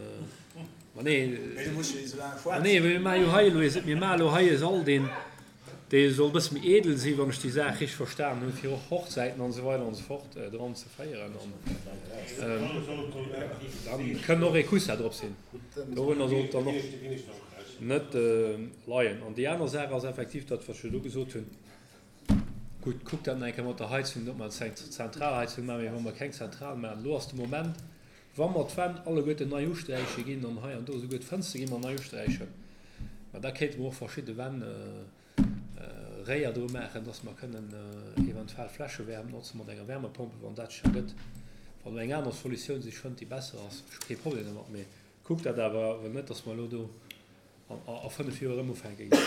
S8: ma nee,
S6: Mee du muss jo nicht esou laang
S8: ma
S6: schwätzen.
S8: nee, mir maache jo hei elo ee, mir maache elo hei e Sall, deen, dee soll e bësse méi edel sinn, wann ech déi Saach richteg verstan hunn, fir och Hochzäiten an esou weider an esou fort dran ze féieren. An dann kënn och ee Coussin drop sinn. Dorunner sollt dann och net leien. An déi aner Saach ass effektiv dat, wat ech elo gesot hunn. Gutt, kuckt dat nach eng Kéier mat der Heizung, ob mer eng Zentralheizung maachen, mee wa mer keng Zentral maachen, elo ass de Moment, wa mer d'Wänn alleguerten nei usträiche ginn an hei an do esouguer d'Fënster gi mer nei usträichen, ma da kéinte mer och verschidde Wänn Réier dru maachen, dass mer kënnen eventuell Fläschewärmt notze mat enger Wärmepompe, wann dat scho gëtt. Wann eng aner Solutioun sech fënnt, déi besser ass, ech hu kee Problem domat, mee kuckt dat awer, well net, dass mer elo do a fënnef Joer erëm ufänke ginn.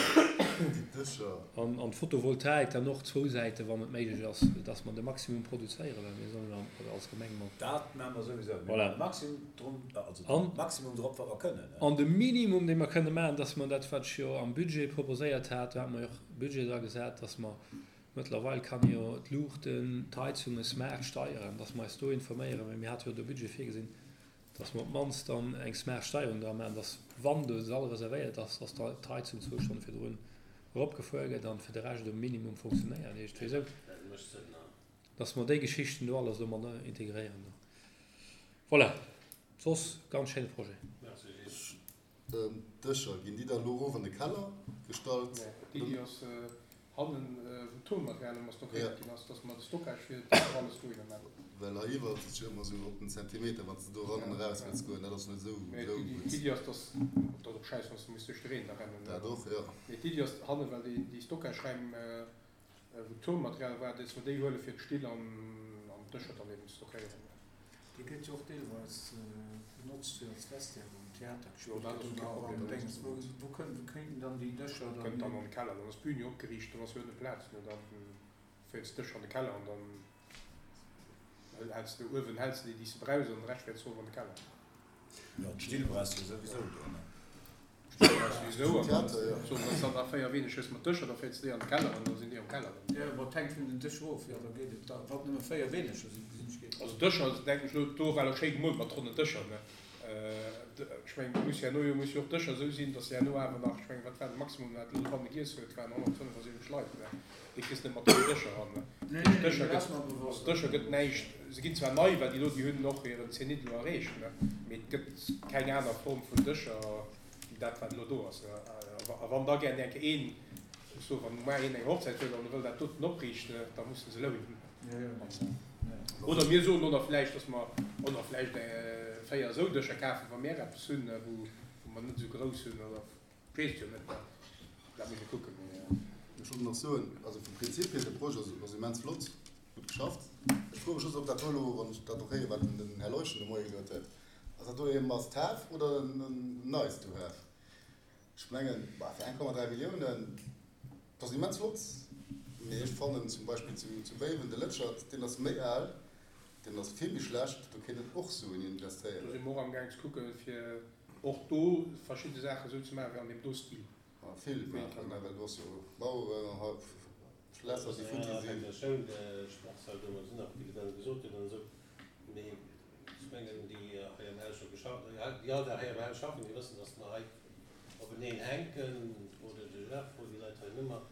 S5: Déi Dëscher.
S8: An d'Photovoltaik dann och zwou Säiten, wann et méiglech ass, dass mer de Maximum produzéieren, well mir sollen an, als Gemeng mat.
S6: Dat maache mer souwisou. Mir
S8: Voilà.
S6: maachen de Maximum drun, also de
S8: An
S6: Maximum drop, wat mer kënnen, ne?
S8: An de Minimum, dee mer kënne maachen, dass mer dat, wat ech jo am Budget proposéiert hat, do hate mer jo och Budget dra gesat, dass mer, mëttlerweil kann ee jo d'Luuchten, d'Heizunge smart steieren, dass mer eis do informéieren, well mir hate jo do Budget virgesinn, dass mer op d'mannst dann eng smart Steierung dra maachen, dass, wann de Sall reservéiert ass, dass da d'Heizung zwou Stonne virdrun eropgefuer gëtt an fir de Rescht um Minimum funktionéiert. Iergendwéi esou, dass mer déi Geschichten do alles do mat integréieren do. Voilà, soss ganz schéine Projet.
S5: D'Dëscher, ginn déi dann elo erof an de Keller gestallt?
S9: Nee, d'Iddi ass hannen, wou d'Tonmaterial ëmmer stockéiert ginn ass, dass mer de Stockage fir d'Dëscher alles dohinner maachen.
S5: Well hei iwwer ass et jo ëmmer esou op den Zentimeter, wann s de do eran an eraus wëlls goen, dat ass net esou
S9: Mee
S5: esou
S9: d'Iddi,
S5: gutt.
S9: d'Iddi ass, dass, dat ass och schäiss, wann s de muss duerch de Reen da rennen.
S5: Dat och, jo.
S9: Mee d'Iddi ass hannen, well déi, déi Stockageräim, wou d'Tonmaterial war, dass mer déi huele fir d'Still an, an d'Dëscher dann eben ze stockéieren.
S4: Déi gëtt jo och deelweis benotzt fir als Vestiaire um Theater.
S9: Jo, dat ass
S4: Gëtt
S9: kee
S4: och
S9: Problem.
S4: an Déngs. Wou, wou kënn, wou kéinten dann déi Dëscher dann
S9: Kënnt dann an de Keller, dann ass d'Bühn jo opgeriicht, dann ass jo net Plaz, ne, dann féiers d'Dëscher an de Keller an dann häls de uewen, häls de déi, déi s de brauchs an de Rescht féiers de erof an de Keller.
S6: Jo, d'Still brauchs de souwisou do, ne?
S9: Souwisou, an dann soen, wann s de dann nach véier weeneg hues mat Dëscher, da féiers de déi an de Keller an da sinn déi am Keller dann.
S4: Jo, ma et hänkt vun den Dëscher of, jo, da geet et. Da, wann nëmme véier weeneger sinn, gesinn ech, geet et.
S9: Also Dëscher, denken ech elo, do war elo schéi gemoolt mat ronnen Dëscher, ne? Ech mengen, et muss herno jo, muss jo och d'Dëscher esou sinn, datt se herno awer nach, ech mengen, wat war de Maximum, wat elo dobanne giess huet, waren honnertfënnefasiwwenzeg Leit, ne? Déi kriss de net mat ronnen Dëscher eran, ne?
S4: Nee, nee,
S9: Dëscher
S4: dat
S9: gëtt,
S4: ass mer
S9: also
S4: bewosst.
S9: Dëscher gëtt näischt, se ginn zwar nei, well déi elo, déi hunn och hiren Zenit elo erreecht, ne? Mee et gëtt keng aner Form vun Dëscher wéi dat, wat elo do ass, ne? A wann da gär eng Kéier een, ech soe wann muar een eng Hochzäit huet an e wëll dat doten opriichten, da musse se lounen.
S4: Jo, jo, jo.
S9: Oder mir soen och nach vläicht, dass mer och nach vläicht véier esou Dëscher kafen, wa mir eppes hunn, wou mer net esou grouss hunn, oder ech weess et jo net, dat muss ee kucken. Mee.
S5: Ech wollt nach soen, also vum Prinzip hier, de Projet ass immens flott, gutt geschafft. Ech froe mech just, ob dat do elo, wann ech dat och héieren, wat den Här Leuschen de Moie gesot huet, ass dat do ee must have oder en nice to have? Ech mengen, bah, fir eng Komma dräi Milliounen, dat ass immens flott, mee ech fannen zum Beispill zu, zu Béiwen de Lëtschert, deen ass méi al, deen ass vill méi schlecht, do kéint een och Suen
S9: Do si
S5: investéieren.
S9: mer och amgaang ze kucken, fir och do verschidde Saachen esou ze maachen wéi an deem do Stil.
S5: A vill
S9: Wéi et
S5: maachen,
S9: kann.
S5: ne, well do ass jo Maueren an hei Schlässer, déi futti
S1: Ja,
S5: sinn.
S1: der Schoul, de Sportshall, do sinn nach vill dann gesot hunn an esou, mee ech mengen, déi hei am Haus scho geschafft, déi all Dag hei am Haus schaffen, déi wëssen, datt mer hei openeen hänken, oder de Jeff, wou déi Leit hei nëmmer,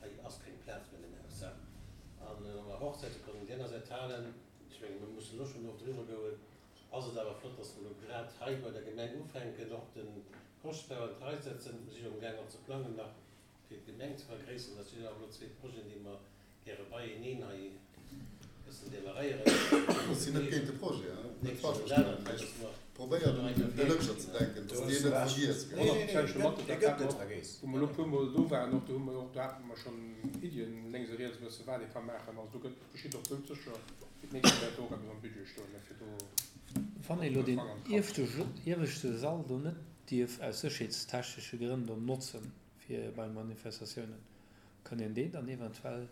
S1: hei ass keng Plaz méi an deem Haus. An wa mer Hochzäite kënnen déi aner Säit halen, ech menge mir mussen elo schonn och driwwer goen, ass et awer flott, datt mer elo grad hei bei der Gemeng ufänken, och de Koschtbau an d'Rei setzen. Mir si jo amgaang och ze plangen nach, fir d'Gemeng ze vergréisseren. Dat sinn awer elo zwee Projeten, déi mer gäre beieneen hei e bëssen demarréieren.
S5: Ech sinn net géint de Projet, hein, net falsch verstoen, mee ech probéieren un de Lëtscher ze denken, dass deen net vergiess gëtt.
S9: Dee gëtt net vergiess. Wou mer elo e puermol do waren, och do hu mer och, do hate mer schonn Iddien lénks a riets e bësse wat ee ka maachen. Also do gëtt geschitt och doudsécher, fir d'nächst Joer wäert do och eppes am Budget stoen, fir do
S8: Wann ee
S9: och
S8: elo
S9: e
S8: deen
S9: Fanger an d'Rad ze
S8: ieweschte Sall do net dierf aus sécherheetstechnesche Grënn do notzen fir bei Manifestatiounen, kann een deen dann eventuell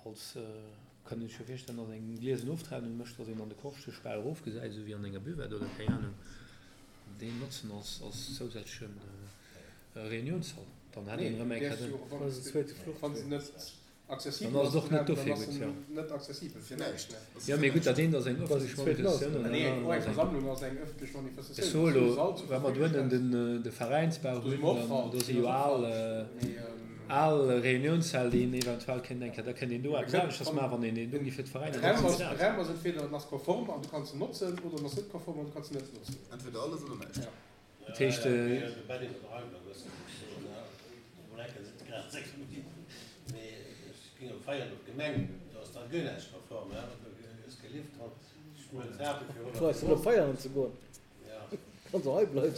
S8: als, kann een sech jo virstellen, datt een eng gliesen Oftrennung mécht, datt een an de Korschtech bal erofgesäit, esou wéi an enger Buvette oder keng Ahnung, deen notzen als als zousätzleche Reuniounssall. Dann hätt
S9: Nee,
S8: een erëm
S9: du
S8: eng
S9: däerfs
S8: Kéier
S9: jo,
S8: den.
S9: wann s de, wann se net
S8: Dann
S9: accessibel
S8: ass et
S9: ass,
S8: och net
S9: dann
S8: dofir
S9: ass
S8: gutt,
S9: en
S8: jo.
S9: net accessibel fir näischt, ne?
S8: Jo, mee gutt, dat eent ass eng ëffentlech Manifestatioun an dat
S9: Nee,
S8: anert
S9: och eng
S8: ass eng.
S9: Versammlung ass eng ëffentlech
S8: Ech
S9: Manifestatioun.
S8: soe
S9: Wann s du
S8: elo,
S9: e Sall zur
S8: wa mer
S9: Verfügung
S8: dohennen
S9: stells,
S8: den, de Veräinsbau
S9: do si
S8: hunn,
S9: mer och
S8: dann
S9: falsch,
S8: do si
S9: deen
S8: jo
S9: ass och
S8: al,
S9: falsch, mee.
S8: al Reuniounssäll, déi een eventuell kéint eng Kéier, da kéint een do
S9: Mee
S8: eppes
S9: kënnt,
S8: aneschters
S9: wann
S8: maachen, wann een deen do gi fir d'Veräiner
S9: de Raum
S8: notzen
S9: ass, de
S8: dat.
S9: Raum ass entweder en ass konform an du kanns en notzen oder en ass net konform an du kanns en net notzen.
S5: Entweder alles oder näischt.
S9: Ja.
S8: Dat heescht.
S7: Freis du op feieren ze goen? Kanns och hei bleiwen.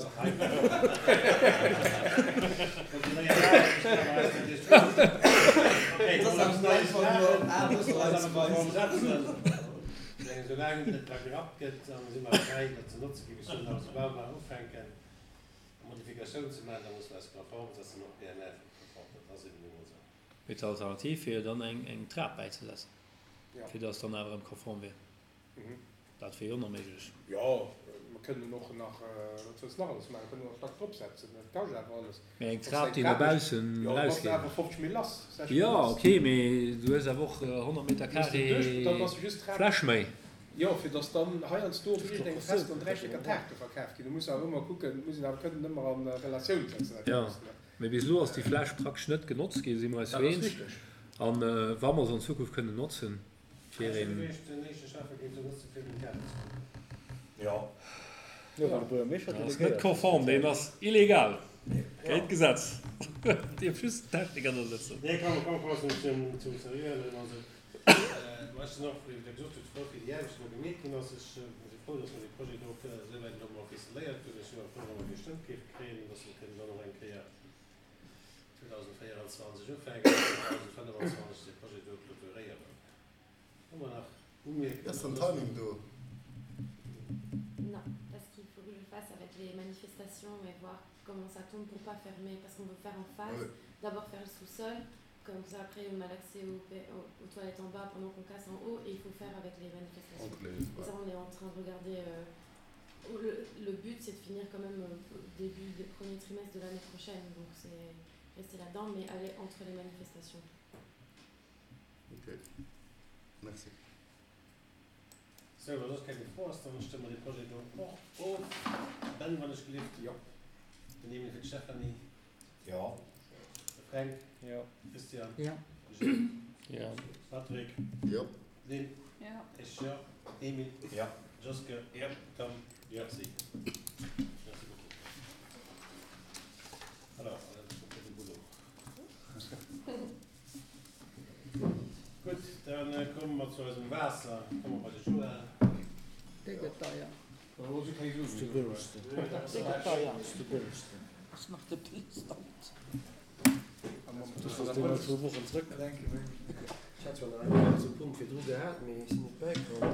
S1: Modifikatioun ze maachen, da musse mer eis konform setzen, och P N F konform, dat ass eben nu mol esou.
S8: Mee d'Alternativ wier jo dann eng eng Trap bäizesetzen,
S9: Ja.
S8: fir datt dann awer erëm konform wier.
S9: Mhm.
S8: Dat wier jo och nach méiglech.
S9: Jo, mer kënnen och nach, wat wëlls de nach alles maachen? Mer kënnen och nach Stack dropsetzen, dat kascht awer alles.
S8: Mee eng
S9: Wann s de
S8: Trap,
S9: eng
S8: déi no
S9: Trap méchs,
S8: baussen
S9: jo, da bass de
S8: erausgeet.
S9: awer fofzeg Mille lass, sechzeg Mille
S8: Jo,
S9: lass.
S8: ok, mee du hues awer och honnert Meter
S9: Hues de duerch,
S8: carré
S9: dann bass de just d'Trap.
S8: Fläch méi.
S9: Jo, fir datt dann heiansdo op iergendengem Fest dann dräi Stécker Taarte verkaf ginn. Du muss awer ëmmer kucken, muss een awer kënnen ëmmer a Relatioun setzen, dat
S8: Jo,
S9: Ganzt, ne?
S8: mee bis elo ass déi Fläch praktesch net genotzt ginn, si mer eis
S9: Dat
S8: jo
S9: ass
S8: eens.
S9: richteg.
S8: An wa mer se an Zukunft kënnen notzen, fir
S1: Ech
S8: een.
S1: wier den éischte Schäffe géif se notze fir den Theater ze kucken.
S6: Jo.
S7: Jo, well de Buergermeeschter
S8: Dat ass net
S7: delegéiert.
S8: konform, deen ass illegal, géint d'Gesetz. Dierf just den Techniker do sëtzen.
S1: Nee, komm, komm, komm zum, zum Seriöen. Also, ma ech sinn och, wéi Der gesot hutt, frou fir déi Aarbecht, déi do gemeet ginn ass. Ech si frou, dass mer dee Projet do esouwäit elo mol ficeléiert hunn. Ech sinn och frou, wa mer gestëmmt géife kréien, dass mer kënnen dann och eng Kéier zweedausendvéierenzwanzeg ufänken an zweedausendfënnefenzwanzeg dee Projet do clôturéieren. Hu mer nach Umierkungen
S5: Ass den
S1: oder
S5: Timing do?
S2: Non, parce qu'il faut que je fasse avec les manifestations et voir comment ça tombe pour pas fermer, parce qu'on veut faire en phase.
S5: Ouais.
S2: D'abord faire le sous-sol, comme ça après on a l'accès aux, aux, aux toilettes en bas pendant qu'on casse en haut et il faut faire avec les manifestations.
S5: Entre les,
S2: Et
S5: ouais.
S2: ça on est en train de regarder euh, Le, le but, c'est de finir quand même au début du premier trimestre de l'année prochaine. Donc c'est rester là-dedans, mais aller entre les manifestations.
S5: Ok. Merci.
S1: Sou, wa soss keng méi Fro ass, dann stëmme mer dee Projet do och of. Ben, wann ech gelift.
S9: Jo.
S1: Den Emil fir d'Stéphanie.
S6: Jo.
S1: De Fränk.
S7: Jo.
S1: Christian.
S10: Jo.
S1: Gilles.
S7: Jo.
S1: Patrick.
S5: Jo.
S1: Lynn.
S10: Jo.
S1: Ech jo. Emil.
S6: Jo.
S1: Joske.
S9: Jo.
S1: Tom. Merci. Merci beaucoup. Alors, on a beaucoup de boulot. Gutt, dann komme mer zu eisem Waasser. Komme mer bei de Joël.
S10: Dee gëtt deier.
S7: Ass de bëllegsten.
S10: Dee gëtt deier.
S7: Ass de bëllegsten.
S10: Ass nach de bëllegsten.
S7: Das ass deen nach zwou Wochen zrëck.
S11: Ech hat zwar nach eng ganze Punkt virdru gehat, mee ech sinn net bäikomm.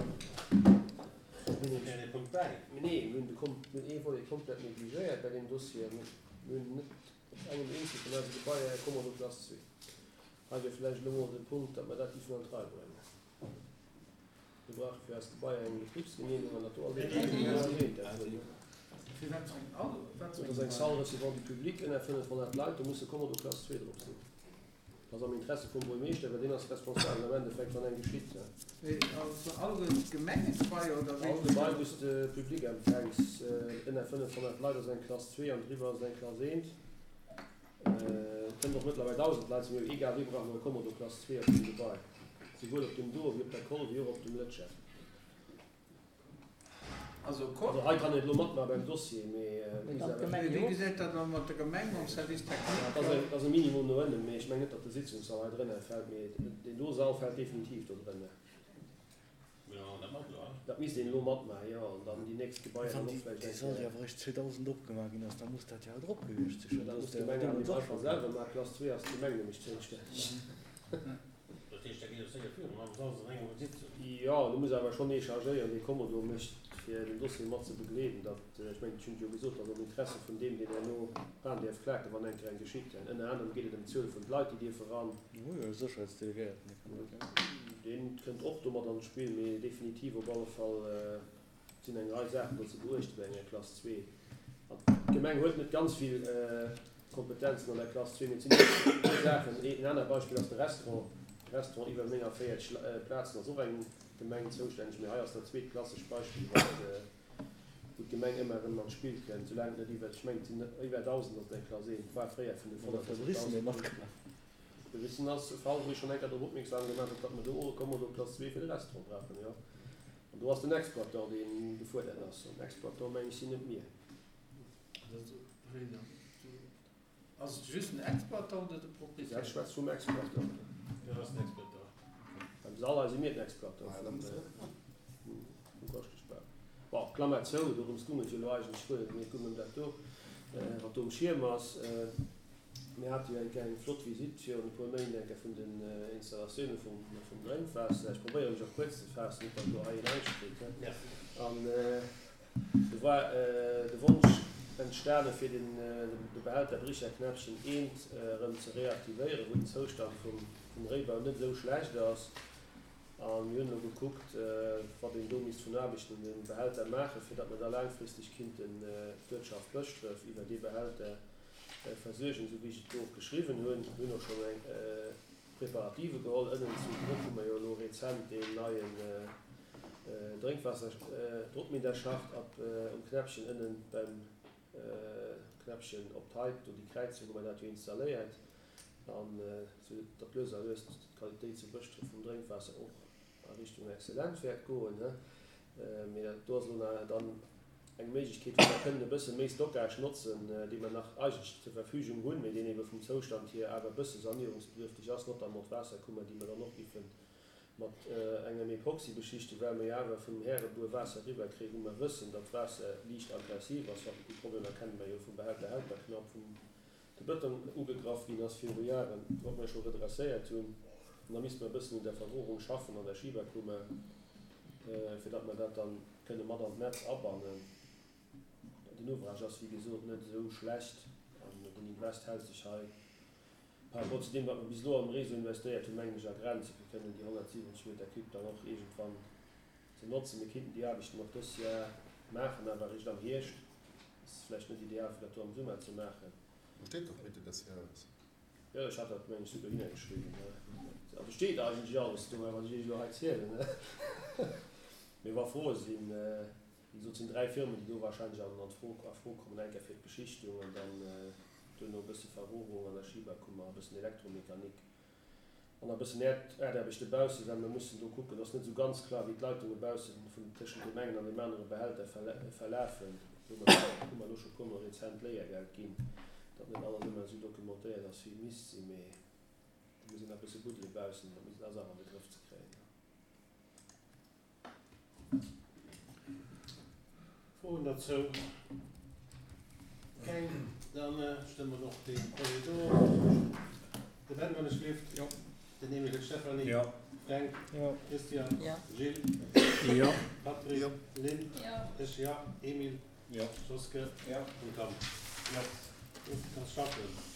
S1: Mir Punkt bäi.
S11: Nee, mir hunn de Kom-, mir hunn ee Volet komplett negligéiert bei deem Dossier. Mir hunn net op engem eenzege vun eise Gebaier e Kommodo Classe zwee. Hei wier vläicht elo mol de Punkt, datt mer dat géifen an d'Rei bréngen. Mir brauche fir eis Gebaier eng Betribsgenehmegung an dat do ass een Element dervun.
S4: Fir wat fir eng Al-, wat fir
S11: Dat ass eng Salle recevant du public ënner fënnefhonnert Leit, do muss e Kommodo Classe zwee drop sinn. Dat ass am Interesse vum Buermeeschter, well deen ass responsabel am Endeffekt, wann eng geschitt.
S4: Mee also all Gemengegebaier oder wéi?
S11: All Gebai, wou s de Public empfänks, ënner fënnefhonnert Leit ass eng Klass zwee an driwwer ass eng Klass eent. Et kënnen och mëttlerweil dausend Leit sinn, mee egal wéi brauche mer e Kommodo Klass zwee op deem Gebai, souwuel op dem Doe wéi op der Koll wéi och op dem Lëtschert.
S4: Also Koll.
S11: Also hei kann een elo matmaache beim Dossier, mee
S10: Mee
S11: misst
S10: dann
S11: awer.
S10: d'Gemeng
S4: Mee wéi
S10: jo.
S4: gesäit dat da mat der Gemeng, mam Service technique?
S11: Dat ass e, dat ass e Minimum no ënnen, mee ech mengen net, datt de Sitzungssall hei drënner fält, mee deen do Sall fält definitiv do drënner.
S1: Jo, dat mat elo.
S11: Dat misst een elo matmaachen, jo, an dann déi nächst Gebaier
S7: Wann
S11: dann och
S7: déi,
S11: vläicht
S7: déi
S11: eng
S7: Sall
S11: Kéier.
S7: jo awer eréischt zweedausend opgemaach ginn ass, da muss dat jo haut drop gewiescht sinn.
S11: Jo, dat
S7: Dat
S11: muss
S7: ass der
S11: d'Gemeng awer
S7: deemools och
S11: einfach
S7: scho
S11: selwer maachen. Klass zwee ass d'Gemeng nämlech zoustänneg.
S1: Dat heescht, da geet et séier virun, an soll se an engem Sitzung.
S11: Jo, do muss awer schonn ee chargéieren, dee Kommodo mécht, fir den Dossier mat ze begleeden. Dat, ech mengen, ech hunn et jo gesot, ass am Interesse vun deem, deen herno ran däerf klaken, wann eng Kéier eng geschitt. An ënner anerem geet et ëm d'Zuel vun de Leit, déi dierfe ran.
S7: Jo, jo, Sécherheetsdelegéierten, dee kann dat, jo.
S11: Deen kënnt och domat an d'Spill, mee definitiv op alle Fall sinn eng Rei Saachen do ze beuechten bei enger Klass zwee. An d'Gemeng huet net ganz vill Kompetenzen an der Klass zwee, mee et sinn e puer Saachen. En anert Beispill ass de Restaurant. De Restaurant iwwer néngunvéierzeg Plazen ass och eng Gemeng zoustänneg, mee hei ass dat zweet klassesch Beispill, wat, wou d'Gemeng ëmmer erëm an d'Spill kënnt, soulaang et net iwwer, ech mengen, et sinn net iwwer dausend ass et eng Klass eent, war fréier
S7: Oder
S11: fënnefhonnert,
S7: de Brissen, dee matgemaach.
S11: De Brissen ass e Fall, wou ech schonn eng Kéier drop opmierksam gemaach hunn, datt mer do och e Kommodo Klass zwee fir de Restaurant brauchen, jo. An do ass den Exploitant, dee gefuerdert ass. An Exploitant, meng ech, sinn net mir.
S4: Ass et just den Exploitant oder de Proprietär?
S11: Dat schwätzt vum Exploitant.
S1: Jo, dat ass den Exploitant.
S11: Beim Sall hei si mir den Exploitant
S5: Ah, da
S11: vum
S5: muss
S11: vum Koschteschbau. Bon, Klammer zou, dorëms goung et jo elo eigentlech guer net, mee et goung ëm dat do, wat do um Schierm ass. Mir hate jo eng Kéier eng flott Visitt virun e puer Méint eng Kéier vun den Installatioune vum vum Drénkwaasser. Ech probéiere mech och kuerz ze faassen, net datt do hei een Angscht kritt.
S1: Merci.
S11: An do war de Wonsch entstane fir den de Behälter Bricherknäppchen eent erëm ze reaktivéieren, wou den Zoustand vum vum Réibau net esou schlecht ass. A mir hunn elo gekuckt, wat een do misst vun Aarbechten un dem Behälter maachen, fir datt mer da laangfristeg kinnten d'Uertschaft Bëschdref iwwer dee Behälter versuergen, esou wéi ech et do och geschriwwen hunn. Mir hunn och schonn eng Preparative geholl. Ënnen zu Bruck hu mer jo elo rezent deen neien Drénkwaasser-Druckminderschacht ab um Knäppchen ënnen beim Knäppchen op d'Heip, do déi Kräizung, hu mer dat jo installéiert. An esou datt lues a lues d'Qualitéit zu Bëschdref vum Drénkwaasser och a Richtung exzellent wäert goen. Mee dat do ass elo nach dann eng Méiglechkeet, wou mer kënnen e bësse méi Stockage notzen, dee mer nach eigentlech zur Verfügung hunn, mee deen ebe vum Zoustand hier awer e bësse sanierungsbedürftig ass, notamment d'Waasserkummer, déi mer dann och géife mat engem Epoxy beschichten, well mer jo awer vum Härebuer Waasser eriwwerkréien, wou mer wëssen, datt d'Waasser liicht aggressiv ass. Déi Problemer kenne mer jo vum Behälter Helperknapp, vum de Bëtong ugegraff ginn ass viru Jaren, wat mer scho redresséiert hunn. An da misste mer e bëssen un der Verrohrung schaffen an der Schiberkummer, fir datt mer dat dann kënne mat an d'Netz abannen. Den Ouvrage ass, wéi gesot, net esou schlecht an den Invest hält sech hei par rapport zu deem, wat mer bis elo am Réseau investéiert hunn, mengen ech, a Grenzen, fir kënnen déi honnertsiwwenzeg Meter Cube dann och iergendwann ze notzen. Mir kinnten déi Aarbechten och dës Jar maachen, awer eréischt am Hierscht. Ass vläicht net ideal, fir dat do am Summer ze maachen.
S5: Do steet doch Mitte des Jahres.
S11: Jo, ech hat dat, meng ech, souguer dohinner geschriwwen. Also steet eigentlech alles do, wat ech Iech elo hei zielen. Mee wa Froe sinn, wéi gesot, et sinn dräi Firmen, déi do wahrscheinlech an d'Fro, a Fro kommen, eng Kéier fir d'Beschichtung an dann duerno e bësse Verrohrung an der Schiberkummer, e bëssen Elektromechanik an e bëssen Äerdaarbechte baussen, well mir mussen do kucken, ass net esou ganz kloer, wéi d'Leitunge baussen vun tëschent deem engen an deem anere Behälter verlafen. Do hu mer elo scho puermol rezent Léiergeld ginn, datt net alles ëmmer esou documentéiert ass, wéi et misst sinn, mee do muss een nach e bësse buddele baussen, dat ass awer an de Grëff ze kréien.
S1: Froen derzou? Keng? Da stëmme mer och dee Projet do. De Ben, wann ech gleeft.
S8: Jo.
S1: Den Emile Stephany.
S8: Jo.
S1: Fränk.
S10: Jo.
S1: Christian.
S10: Jo.
S1: Gilles.
S8: Jo.
S1: Patrick.
S5: Jo.
S1: Lynn.
S2: Jo.
S1: Ech, jo. Emile.
S4: Jo.
S1: Joske.
S4: Jo.
S1: An Tom.
S4: Jo.
S1: Gutt, kanns schaffen.